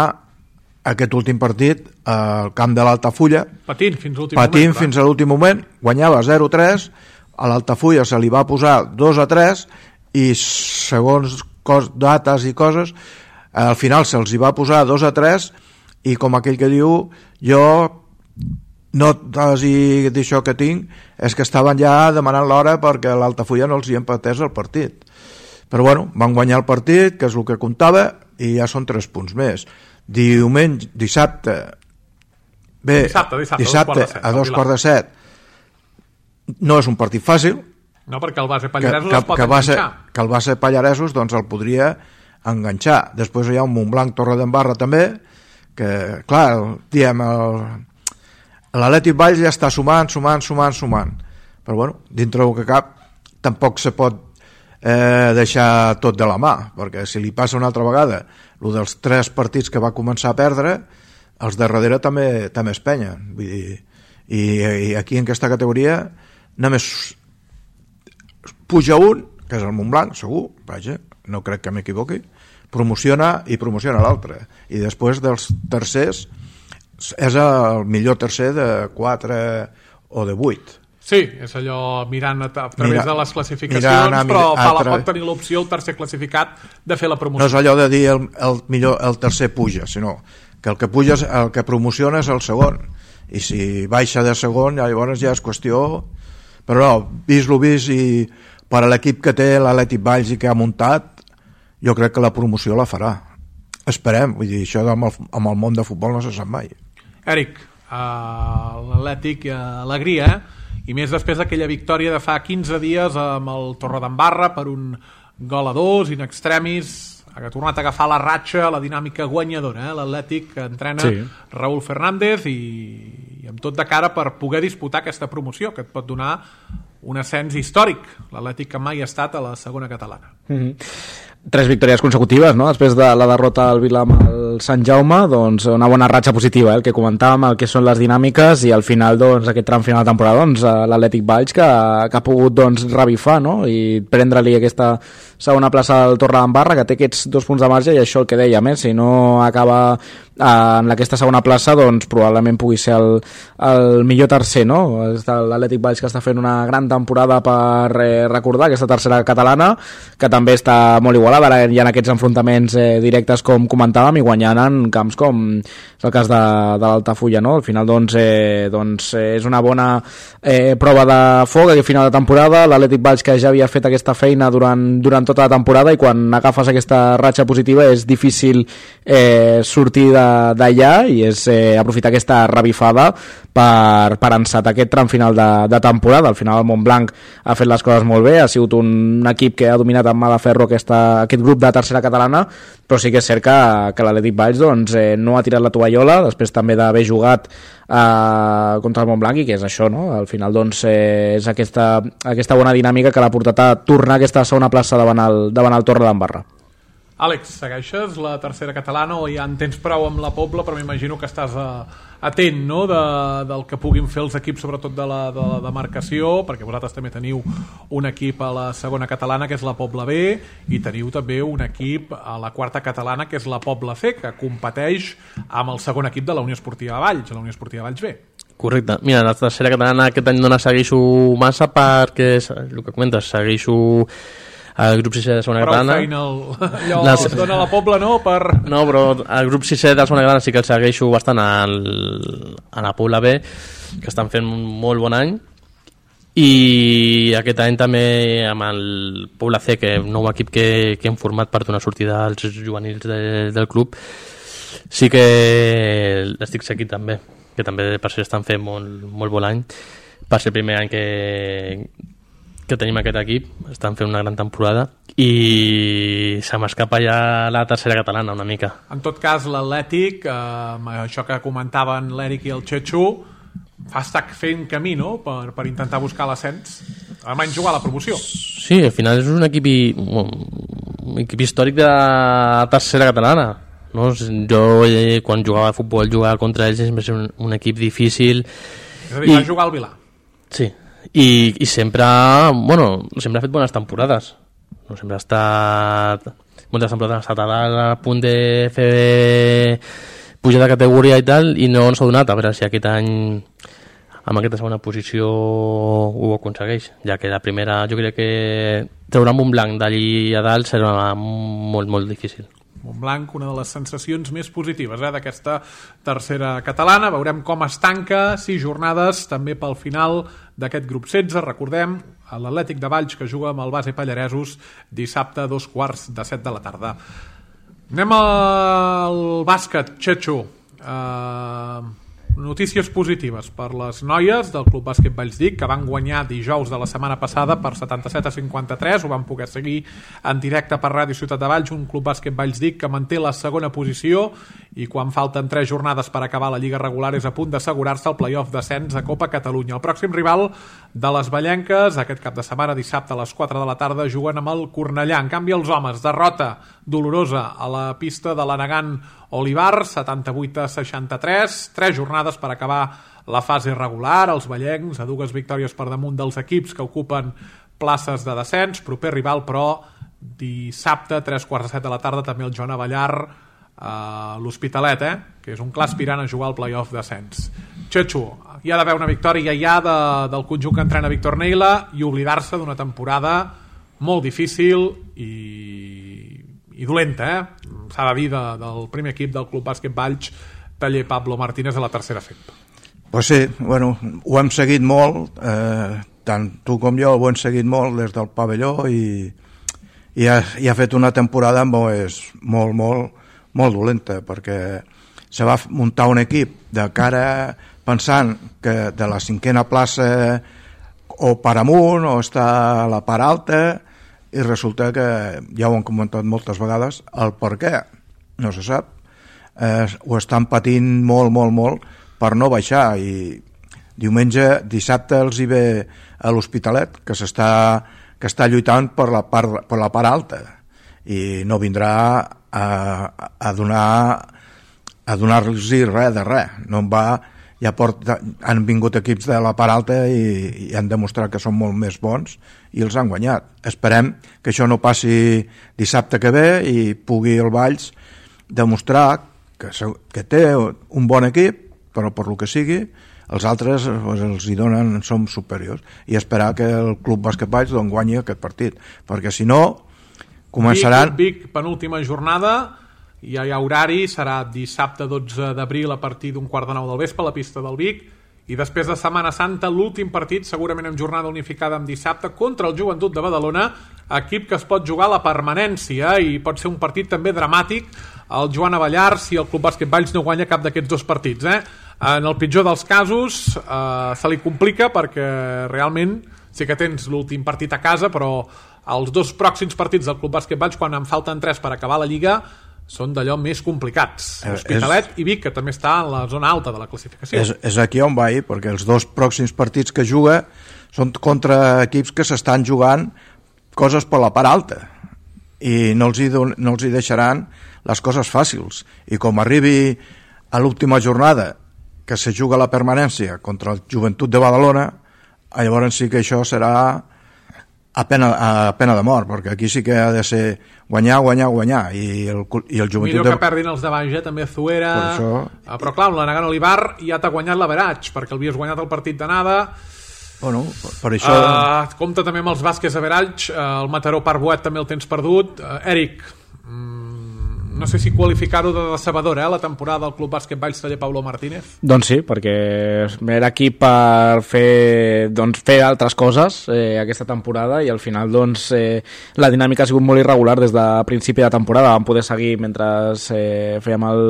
E: aquest últim partit al camp de l'Altafulla,
B: patint fins a l'últim
E: patint
B: moment,
E: fins a l'últim moment, guanyava zero a tres, a l'Altafulla se li va posar dos a tres i segons cos, dates i coses, al final se'ls hi va posar dos a tres i com aquell que diu, jo notes i d'això que tinc és que estaven ja demanant l'hora perquè l'Altafulla no els hi empatés el partit. Però bueno, van guanyar el partit, que és el que comptava, i ja són tres punts més. Diumenge, dissabte, bé,
B: dissabte, dissabte,
E: dissabte a dos quarts de set, no és un partit fàcil,
B: no, perquè el base Pallaresos
E: que,
B: es pot
E: que
B: enganxar.
E: Base, que el base Pallaresos doncs, el podria enganxar. Després hi ha un Montblanc Torredembarra també, que, clar, diem, l'Atlètic Valls ja està sumant, sumant, sumant, sumant. Però, bueno, dintre del que cap, tampoc se pot eh, deixar tot de la mà, perquè si li passa una altra vegada el dels tres partits que va començar a perdre, els de darrere també, també es penyen. Vull dir, i, i aquí en aquesta categoria només puja un, que és el Montblanc, segur, vaja, no crec que m'equivoqui, promociona i promociona l'altre. I després dels tercers, és el millor tercer de quatre o de vuit.
B: Sí, és allò mirant a, a través Mira, de les classificacions,
E: mirant,
B: però
E: a, a,
B: pot tenir l'opció el tercer classificat de fer la promoció.
E: No és allò de dir el, el, millor, el tercer puja, sinó que el que puja, el que promociona és el segon. I si baixa de segon, llavors ja és qüestió... Però no, vist lo vist i per a l'equip que té l'Atlètic Valls i que ha muntat, jo crec que la promoció la farà. Esperem, vull dir, això amb el, amb el món de futbol no se sap mai.
B: Eric, uh, l'Atlètic, uh, alegria, eh? I més després d'aquella victòria de fa quinze dies amb el Torredembarra per un gol a dos, in extremis, ha tornat a agafar la ratxa, la dinàmica guanyadora, eh? L'Atlètic que entrena sí. Raúl Fernández i, i amb tot de cara per poder disputar aquesta promoció que et pot donar un ascens històric. L'Atlètic que mai ha estat a la segona catalana.
C: Mm-hmm. Tres victòries consecutives, no? Després de la derrota al Vila amb el Sant Jaume, doncs una bona ratxa positiva, eh? El que comentàvem, el que són les dinàmiques i al final, doncs, aquest tram final de temporada, doncs, l'Atlètic Valls que, que ha pogut, doncs, revifar, no? I prendre-li aquesta segona plaça al Torredembarra, que té aquests dos punts de marge i això el que dèiem, eh? Si no acaba eh, en aquesta segona plaça, doncs probablement pugui ser el, el millor tercer, no? L'Atlètic Valls que està fent una gran temporada per eh, recordar aquesta tercera catalana, que també està molt igualada. Ara hi ha aquests enfrontaments eh, directes com comentàvem i guanyant en camps com és el cas de, de l'Altafulla, no? Al final doncs, eh, doncs eh, és una bona eh, prova de foc a final de temporada. L'Atlètic Valls que ja havia fet aquesta feina durant, durant tota la temporada i quan agafes aquesta ratxa positiva és difícil eh, sortir d'allà i és eh, aprofitar aquesta revifada per, per encetar aquest tram final de, de temporada. Al final el Montblanc ha fet les coses molt bé, ha sigut un equip que ha dominat amb mà de ferro aquesta, aquest grup de tercera catalana però sí que és cert que, que l'Atlètic Valls doncs, eh, no ha tirat la tovallola, després també d'haver jugat eh, contra el Montblanc, i que és això, no? Al final doncs, eh, és aquesta, aquesta bona dinàmica que l'ha portat a tornar a aquesta segona plaça davant el, davant el Torre d'Embarra.
B: Àlex, segueixes la tercera catalana o ja en tens prou amb la Pobla, però m'imagino que estàs a, atent, no?, de, del que puguin fer els equips, sobretot de la, de la demarcació, perquè vosaltres també teniu un equip a la segona catalana, que és la Pobla B, i teniu també un equip a la quarta catalana, que és la Pobla C, que competeix amb el segon equip de la Unió Esportiva Valls, la Unió Esportiva Valls B.
D: Correcte. Mira, la tercera catalana aquest any no la segueixo massa perquè, el que comentes, segueixo el grup sisè de segona catalana.
B: Prou feina el, allò les... es dona a la Pobla, no? Per...
D: No, però el grup sisè de segona catalana sí que el segueixo bastant al, a la Pobla B, que estan fent un molt bon any, i aquest any també amb el Pobla C, que és un nou equip que, que hem format per donar sortida als juvenils de, del club, sí que l'estic seguint també, que també per ser estan fent molt, molt bon any, per ser el primer any que que tenim aquest equip, estan fent una gran temporada i se m'escapa ja la tercera catalana una mica.
B: En tot cas, l'Atlètic, eh, això que comentaven l'Eric i el Txetxo, fa estar fent camí, no?, per, per intentar buscar l'ascens, almenys jugar a la promoció.
D: Sí, al final és un equip, un equip històric de la tercera catalana. No? Jo, eh, quan jugava a futbol, jugava contra ells, sempre és un, un equip difícil.
B: És a dir, I... va jugar al Vilà.
D: Sí. I, i sempre, bueno, sempre ha fet bones temporades, no, sempre ha estat moltes temporades, ha estat a, dalt, a punt de fer pujar de categoria i tal, i no s'ha donat, a veure si aquest any amb aquesta segona posició ho aconsegueix, ja que la primera jo crec que treure un blanc d'allí a dalt serà molt, molt difícil.
B: Montblanc, una de les sensacions més positives eh, d'aquesta tercera catalana. Veurem com es tanca, sis jornades també pel final d'aquest grup setze. Recordem, l'Atlètic de Valls, que juga amb el Base Pallaresos dissabte a dos quarts de set de la tarda. Anem al bàsquet, Txetxo. Uh, notícies positives per les noies del Club Bàsquet Vallsdic, que van guanyar dijous de la setmana passada per setanta-set a cinquanta-tres. Ho van poder seguir en directe per Ràdio Ciutat de Valls, un Club Bàsquet Vallsdic que manté la segona posició i quan falten tres jornades per acabar la lliga regular és a punt d'assegurar-se el play-off d'ascens a Copa Catalunya. El pròxim rival de les ballenques aquest cap de setmana, dissabte a les quatre de la tarda, juguen amb el Cornellà. En canvi, els homes, derrota dolorosa a la pista de l'Anagant Olivar, setanta-vuit a seixanta-tres, tres jornades per acabar la fase regular. Els ballencs a dues victòries per damunt dels equips que ocupen places de descens. Proper rival, però, dissabte, tres quarts de set de la tarda, també el Joan Avellar, a l'Hospitalet, eh? Que és un clar aspirant a jugar al play-off d'ascens. Txetxo, hi ha d'haver una victòria ja de, del conjunt que entrena Víctor Neila i oblidar-se d'una temporada molt difícil i, i dolenta, eh? S'ha de dir, de, del primer equip del Club Bàsquet Valls, Taller Pablo Martínez a la tercera F E P.
E: Pues sí, bueno, ho hem seguit molt, eh, tant tu com jo ho hem seguit molt des del pavelló i, i, ha, i ha fet una temporada molt, molt, molt, molt dolenta, perquè se va muntar un equip de cara pensant que de la cinquena plaça o per amunt o està a la part alta, i resulta que ja ho han comentat moltes vegades, el per què no se sap. Eh, ho estan patint molt, molt, molt per no baixar, i diumenge, dissabte els hi ve a l'Hospitalet, que s'està que està lluitant per la part, per la part alta, i no vindrà a, a donar a donar-los res de res. No en va, ja porta, han vingut equips de la part alta i, i han demostrat que són molt més bons i els han guanyat. Esperem que això no passi dissabte que ve i pugui el Valls demostrar que, que té un bon equip, però per lo que sigui els altres pues, els hi donen, som superiors, i esperar que el Club Bàsquet Valls doncs, guanyi aquest partit, perquè si no començaran...
B: Vic, Vic, penúltima jornada, ja hi ha horari, serà dissabte dotze d'abril a partir d'un quart de nou del vespre a la pista del Vic, i després de Setmana Santa l'últim partit, segurament en jornada unificada amb dissabte, contra el Joventut de Badalona, equip que es pot jugar a la permanència, i pot ser un partit també dramàtic el Joan Avellar si el Club Bàsquet Valls no guanya cap d'aquests dos partits, eh? En el pitjor dels casos eh, se li complica perquè realment sí que tens l'últim partit a casa, però els dos pròxims partits del Club Bàsquet Valls, quan en falten tres per acabar la Lliga, són d'allò més complicats. L'Hospitalet és... i Vic, que també està en la zona alta de la classificació.
E: És, és aquí on va, perquè els dos pròxims partits que juga són contra equips que s'estan jugant coses per la part alta i no els hi, don, no els hi deixaran les coses fàcils. I com arribi a l'última jornada que se juga la permanència contra el Joventut de Badalona, llavors sí que això serà a pena, a pena de mort, perquè aquí sí que ha de ser guanyar, guanyar, guanyar, i el, i el Joventut...
B: Millor que perdin els de baix, eh? També Zuera...
E: això...
B: Però clar, la Nagano Olivar ja t'ha guanyat l'averatge, perquè l'havies guanyat el partit d'anada.
E: Bueno, per, per això...
B: Uh, compta també amb els bàsquets average, uh, el Mataró Parbuet també el tens perdut. Uh, Eric, mm, no sé si qualificar-ho de decebedora, eh, la temporada del Club Bàsquet Valls Taller Pablo Martínez.
C: Doncs sí, perquè era aquí per fer, doncs, fer altres coses eh, aquesta temporada i al final doncs, eh, la dinàmica ha sigut molt irregular des de principi de temporada. Vam poder seguir mentre eh, fèiem el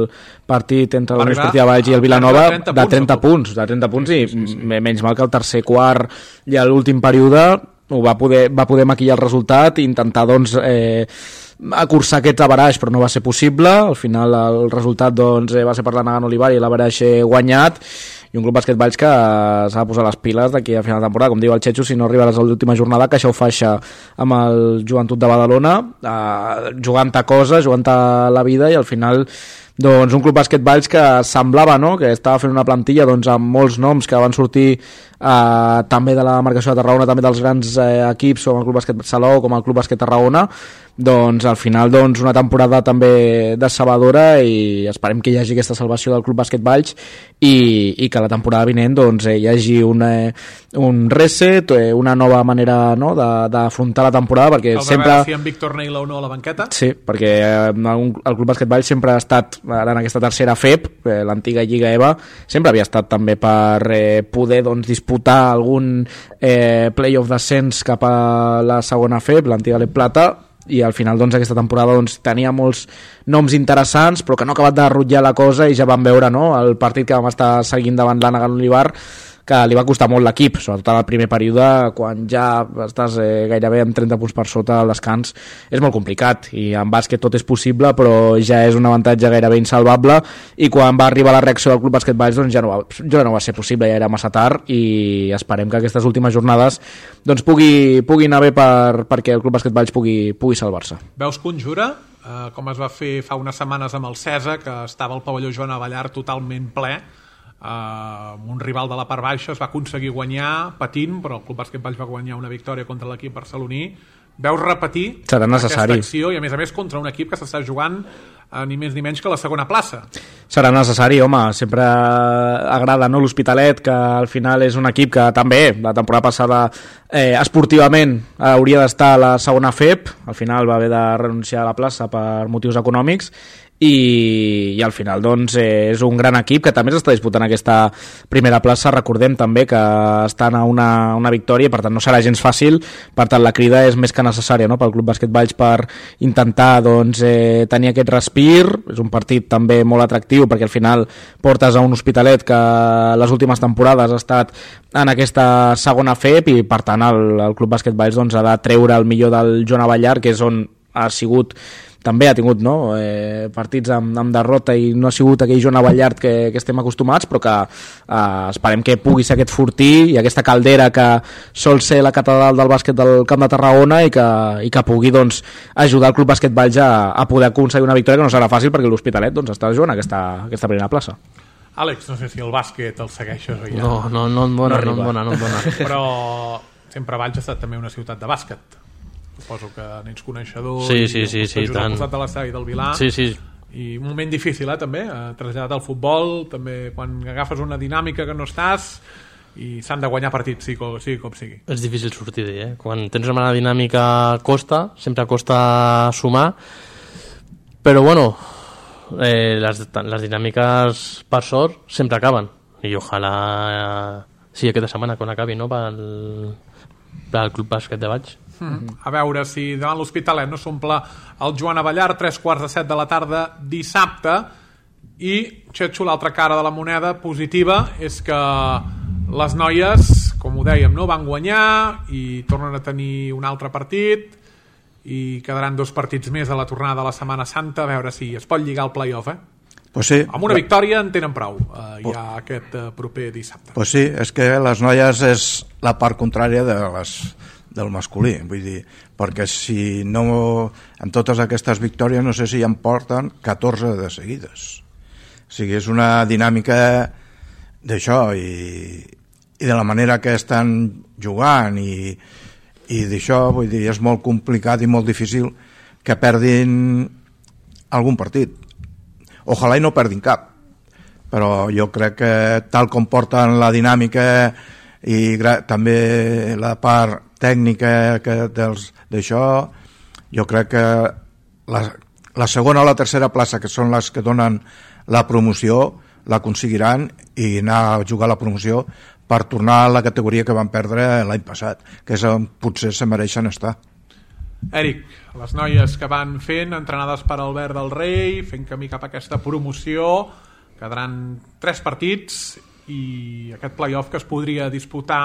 C: partit entre la Unió Esportiva Valls i el Vilanova de trenta punts, de trenta punts i sí, sí, sí. menys mal que el tercer quart i l'últim període ho va poder, va poder maquillar el resultat i intentar doncs, eh, acurçar aquest averaix, però no va ser possible. Al final el resultat doncs, va ser per la Nagano Olivar i l'averaix guanyat, i un Club Bàsquet Valls que s'ha de posar les piles d'aquí a final de temporada, com diu el Xetxo, si no arribaràs a l'última jornada, que això ho faixa amb el Joventut de Badalona, eh, jugant a coses, jugant a la vida, i al final doncs un Club Bàsquet Valls que semblava, no?, que estava fent una plantilla doncs, amb molts noms que van sortir eh, també de la marcació de Tarragona, també dels grans eh, equips com el Club Bàsquet Salou, com el Club Bàsquet Tarragona. Doncs al final doncs, una temporada també decebedora, i esperem que hi hagi aquesta salvació del Club Bàsquet Valls i, i que la temporada vinent doncs, eh, hi hagi un, eh, un reset, eh, una nova manera, no?, d'afrontar la temporada, perquè
B: el
C: sempre...
B: si en Víctor Neila o no a la banqueta.
C: Sí, perquè eh, el Club Bàsquet Valls sempre ha estat ara en aquesta tercera F E P, eh, l'antiga Lliga E V A, sempre havia estat també per eh, poder doncs, disputar algun eh, play-off d'ascens cap a la segona F E P, l'antiga L E P Plata, i al final doncs, aquesta temporada doncs, tenia molts noms interessants però que no ha acabat de rutllar la cosa, i ja vam veure, no?, el partit que vam estar seguint davant la Nagano Olivar, que li va costar molt l'equip, sobretot en el primer període, quan ja estàs eh, gairebé amb trenta punts per sota al descans. És molt complicat, i en bàsquet tot és possible, però ja és un avantatge gairebé insalvable, i quan va arribar la reacció del Club Bàsquet Valls doncs ja no va, ja no va ser possible, ja era massa tard, i esperem que aquestes últimes jornades doncs pugui, pugui anar bé per, perquè el Club Bàsquet Valls pugui, pugui salvar-se.
B: Veus conjura, eh, com es va fer fa unes setmanes amb el Cesa, que estava al pavelló Joan Abellar totalment ple, Uh, un rival de la part baixa, es va aconseguir guanyar patint, però el Club Bàsquet Valls va guanyar una victòria contra l'equip barceloní. Veus repetir
C: serà necessari
B: aquesta acció, i a més a més contra un equip que s'està jugant uh, ni més ni menys que la segona plaça.
C: Serà necessari, home, sempre agrada, no?, l'Hospitalet, que al final és un equip que també la temporada passada eh, esportivament hauria d'estar a la segona F E P, al final va haver de renunciar a la plaça per motius econòmics, i, i al final doncs eh, és un gran equip que també s'està disputant aquesta primera plaça. Recordem també que estan a una, una victòria, per tant no serà gens fàcil, per tant la crida és més que necessària, no?, pel Club Bàsquet Valls per intentar doncs, eh, tenir aquest respir. És un partit també molt atractiu perquè al final portes a un Hospitalet que les últimes temporades ha estat en aquesta segona F E P, i per tant el, el Club Bàsquet Valls doncs, ha de treure el millor del Joan Abellar, que és on ha sigut, també ha tingut, no?, eh, partits amb, amb derrota, i no ha sigut aquell Joan Abellart que, que estem acostumats, però que eh, esperem que pugui ser aquest fortí i aquesta caldera que sol ser la catedral del bàsquet del Camp de Tarragona, i que, i que pugui doncs, ajudar el Club Bàsquet Valls a, a poder aconseguir una victòria que no serà fàcil, perquè l'Hospitalet doncs, està jugant aquesta, aquesta primera plaça.
B: Àlex, no sé si el bàsquet el segueixes o ja...
D: No, no, no em dona, no, no em dona, no em dona.
B: Però sempre Valls ha estat també una ciutat de bàsquet. Suposo que n'ets coneixedor.
D: Sí, sí, sí, sí,
B: tant. Al costat de l'estadi del Vilà.
D: Sí, sí.
B: I un moment difícil, eh, també, eh, traslladat al futbol, també quan agafes una dinàmica que no estàs, i s'han de guanyar partits, sigui com sigui. Com sigui.
D: És difícil sortir d'ell, eh? Quan tens una dinàmica costa, sempre costa sumar, però bueno, eh, les, les dinàmiques, per sort, sempre acaben, i ojalà eh, sigui aquesta setmana quan acabi, no?, pel, pel Club Bàsquet de Valls.
B: Mm. A veure si davant l'Hospitalet no s'omple el Joan Abellar, tres quarts de set de la tarda dissabte. I, Xetxo, l'altra cara de la moneda positiva és que les noies, com ho dèiem, no, van guanyar i tornen a tenir un altre partit, i quedaran dos partits més a la tornada de la Setmana Santa, a veure si es pot lligar el play-off, eh?
E: Pues sí.
B: Amb una victòria en tenen prou, eh, ja aquest eh, proper dissabte.
E: Pues sí, és que les noies és la part contrària de les, del masculí, vull dir, perquè si no, en totes aquestes victòries no sé si en porten catorze de seguides. O sigui, és una dinàmica d'això i, i de la manera que estan jugant i, i d'això, vull dir, és molt complicat i molt difícil que perdin algun partit. Ojalà i no perdin cap, però jo crec que tal com porten la dinàmica i també la part tècnica que dels d'això, jo crec que la, la segona o la tercera plaça, que són les que donen la promoció, la aconseguiran i anar a jugar a la promoció per tornar a la categoria que van perdre l'any passat, que és on potser se mereixen estar.
B: Èric, les noies que van fent, entrenades per Albert del Rei, fent camí cap a aquesta promoció, quedaran tres partits i aquest play-off que es podria disputar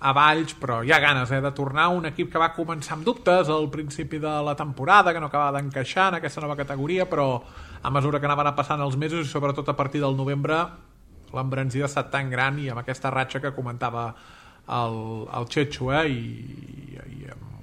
B: a Valls, però hi ha ganes eh, de tornar un equip que va començar amb dubtes al principi de la temporada, que no acabava d'encaixar en aquesta nova categoria, però a mesura que anaven passant els mesos i sobretot a partir del novembre l'embranzida ha estat tan gran i amb aquesta ratxa que comentava el, el Chechu eh, i, i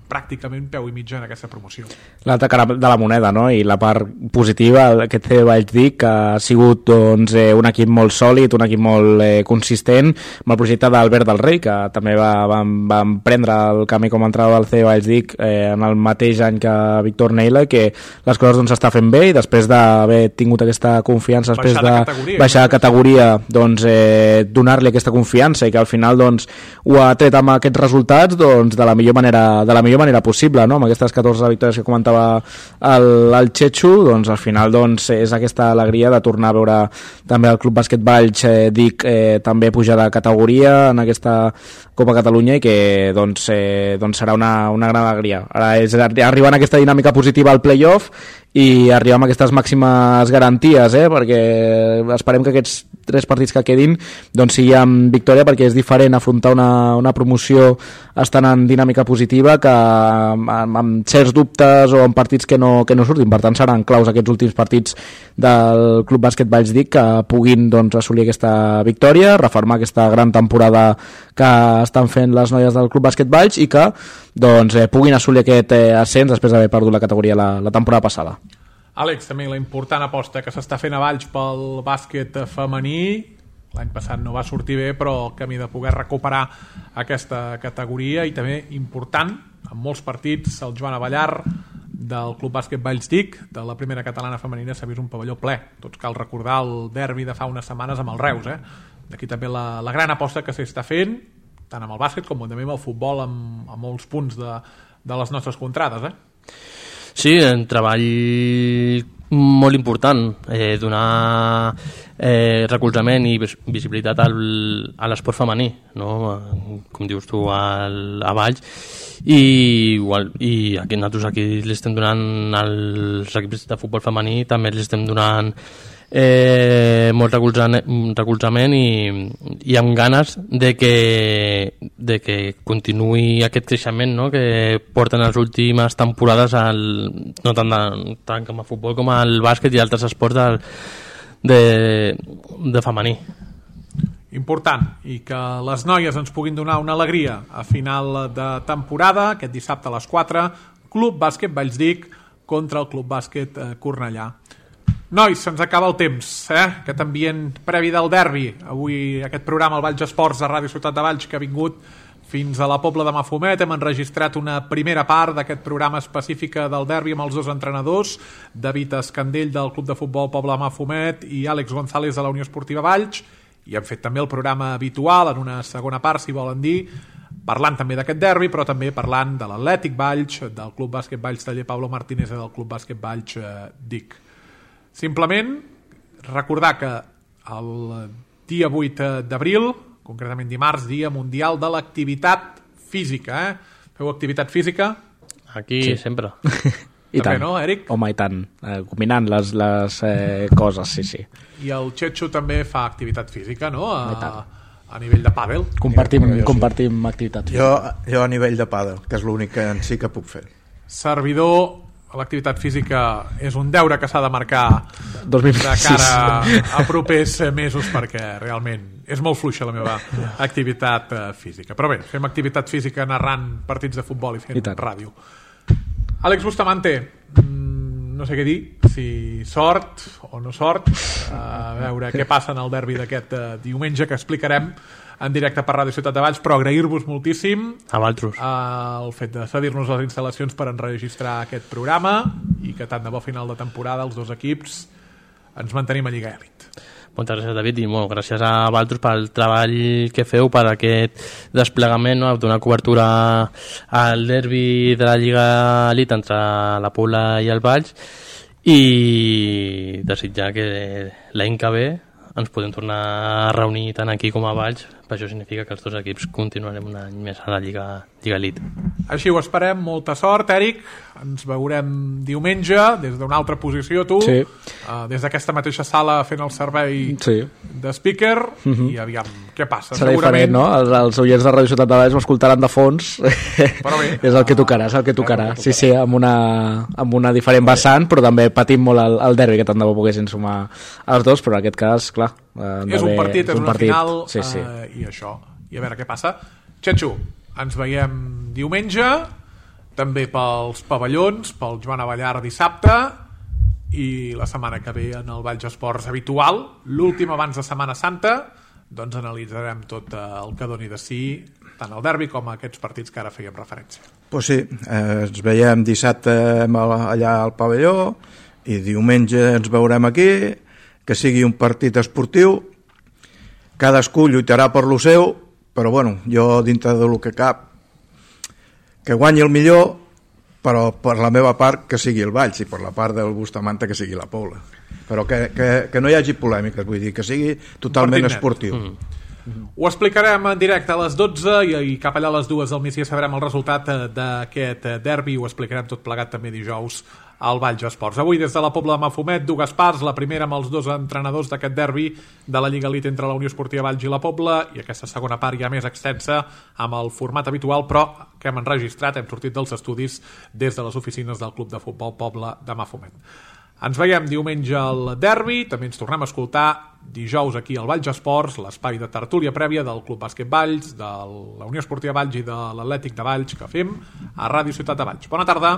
B: pràcticament peu i mitja en aquesta promoció.
C: L'altra cara de la moneda, no? I la part positiva, aquest C Valldic, que ha sigut doncs, eh, un equip molt sòlid, un equip molt eh, consistent, amb el projecte d'Albert del Rei, que també va, van, van prendre el camí com a entrada del C Valldic eh, en el mateix any que Víctor Neila, que les coses doncs, s'està fent bé i després d'haver tingut aquesta confiança, després
B: baixar de, de categoria,
C: baixar de categoria, doncs, eh, donar-li aquesta confiança i que al final doncs, ho ha tret amb aquests resultats doncs, de la millor manera, de la millor manera possible, no? Amb aquestes catorze victòries que comentava el, el Chechu, doncs al final doncs, és aquesta alegria de tornar a veure també el Club Bàsquet Valls eh, dic eh, també pujar de categoria en aquesta Copa Catalunya i que doncs, eh, doncs serà una, una gran alegria. Ara és arribar en aquesta dinàmica positiva al play-off i arribar amb aquestes màximes garanties, eh? Perquè esperem que aquests tres partits que quedin doncs sigui amb victòria, perquè és diferent afrontar una, una promoció estant en dinàmica positiva que amb, amb certs dubtes o amb partits que no, que no surtin. Per tant seran claus aquests últims partits del Club Bàsquet Valls Dic que puguin doncs, assolir aquesta victòria, refermar aquesta gran temporada que estan fent les noies del Club Bàsquet Valls i que doncs, eh, puguin assolir aquest eh, ascens després d'haver perdut la categoria la, la temporada passada.
B: Àlex, també la important aposta que s'està fent a Valls pel bàsquet femení, l'any passat no va sortir bé, però el camí de poder recuperar aquesta categoria i també important, en molts partits, el Joan Avellar del Club Bàsquet Valls Dic, de la primera catalana femenina, s'ha vist un pavelló ple. Tots cal recordar el derbi de fa unes setmanes amb el Reus, eh? D'aquí també la, la gran aposta que s'està fent, tant amb el bàsquet com també amb el futbol, amb, amb molts punts de, de les nostres contrades, eh?
D: Sí, un treball molt important, eh, donar eh, recolzament i visibilitat al, a l'esport femení, no? Com dius tu, al, a Valls, i, igual, i aquí, nosaltres aquí li estem donant als equips de futbol femení, també li estem donant eh, molt recolzament i, i amb ganes de que, de que continuï aquest creixement, no? Que porten les últimes temporades al, no tant, de, tant com a futbol com al bàsquet i altres esports de, de, de femení.
B: Important, i que les noies ens puguin donar una alegria a final de temporada, aquest dissabte a les quatre, Club Bàsquet Valls Dic contra el Club Bàsquet Cornellà. Nois, se'ns acaba el temps, eh? Aquest ambient previ del derbi. Avui aquest programa, el Valls Esports de Ràdio Ciutat de Valls, que ha vingut fins a la Pobla de Mafumet. Hem enregistrat una primera part d'aquest programa específica del derbi amb els dos entrenadors, David Escandell del Club de Futbol Pobla de Mafumet i Àlex González de la Unió Esportiva Valls, i hem fet també el programa habitual en una segona part, si volen dir, parlant també d'aquest derbi, però també parlant de l'Atlètic Valls, del Club Bàsquet Valls Taller Pablo Martínez i del Club Bàsquet Valls Dic. Simplement recordar que el dia vuit d'abril, concretament dimarts, dia mundial de l'activitat física, eh? Feu activitat física?
D: Aquí sí. Sempre.
C: I
B: també,
C: tant.
B: No, Eric?
C: Home, i tant. Eh, combinant les, les eh, coses, sí, sí.
B: I el Chechu també fa activitat física, no? A, a nivell de pàdel.
C: Compartim,
E: jo
C: compartim sí. activitat física.
E: Jo, jo a nivell de pàdel, que és l'únic que en sí que puc fer.
B: servidor, l'activitat física és un deure que s'ha de marcar
C: dos mil
B: de cara a propers mesos, perquè realment és molt fluixa la meva activitat física. Però bé, fem activitat física narrant partits de futbol i fent I ràdio. Àlex Bustamante, no sé què dir, si sort o no sort, a veure què passa en el derbi d'aquest diumenge, que explicarem en directe per Ràdio Ciutat de Valls, però agrair-vos moltíssim
D: a vosaltres
B: el fet de cedir-nos les instal·lacions per enregistrar aquest programa i que tant de bo final de temporada els dos equips ens mantenim a Lliga Elit.
D: Moltes gràcies, David, i molt gràcies a vosaltres pel treball que feu, per aquest desplegament, no? Donar cobertura al derbi de la Lliga Elit entre la Pobla i el Valls, i desitjar que l'any que ve ens podem tornar a reunir tant aquí com a Valls. Per això significa que els dos equips continuarem un any més a la Lliga, Lliga Elite.
B: Així ho esperem, molta sort, Èric. Ens veurem diumenge des d'una altra posició, tu,
C: sí.
B: uh, des d'aquesta mateixa sala fent el servei
C: sí.
B: de speaker, uh-huh. i aviam què passa.
C: Serà Segurament... diferent, no? Els, els oients de Ràdio Ciutat de Valls m'escoltaran de fons.
B: Però bé,
C: és el que tocarà, és el que tocarà. Sí, sí, amb una, amb una diferent vessant, però també patim molt el, el derbi, que tant de bo poguessin sumar els dos, però en aquest cas, clar...
B: És un partit, és, és un una partit. Final,
C: sí, sí.
B: Uh, i això. I a veure què passa. Xenxo, ens veiem diumenge, també pels pavellons, pel Joan Abellar dissabte, i la setmana que ve en el Valls Esports habitual, l'últim abans de Setmana Santa, doncs analitzarem tot el que doni de si, tant el derbi com aquests partits que ara fèiem referència.
E: Pues sí, eh, ens veiem dissabte allà al pavelló, i diumenge ens veurem aquí, que sigui un partit esportiu, cadascú lluitarà per lo seu, però bueno, jo dintre de lo que cap, que guanyi el millor, però per la meva part que sigui el Valls, i per la part del Bustamante que sigui la Pobla. Però que, que, que no hi hagi polèmiques, vull dir, que sigui totalment esportiu. Mm.
B: Ho explicarem en directe a les dotze i, i cap allà a les dues del migdia sabrem el resultat d'aquest derbi, ho explicarem tot plegat també dijous al Valls Esports. Avui des de la Pobla de Mafumet, dues parts, la primera amb els dos entrenadors d'aquest derbi de la Lliga Elite entre la Unió Esportiva Valls i la Pobla, i aquesta segona part ja més extensa amb el format habitual, però que hem enregistrat, hem sortit dels estudis des de les oficines del Club de Futbol Pobla de Mafumet. Ens veiem diumenge al derbi, també ens tornem a escoltar dijous aquí al Valls Esports, l'espai de tertúlia prèvia del Club Bàsquet Valls, de la Unió Esportiva Valls i de l'Atlètic de Valls que fem a Ràdio Ciutat de Valls. Bona tarda.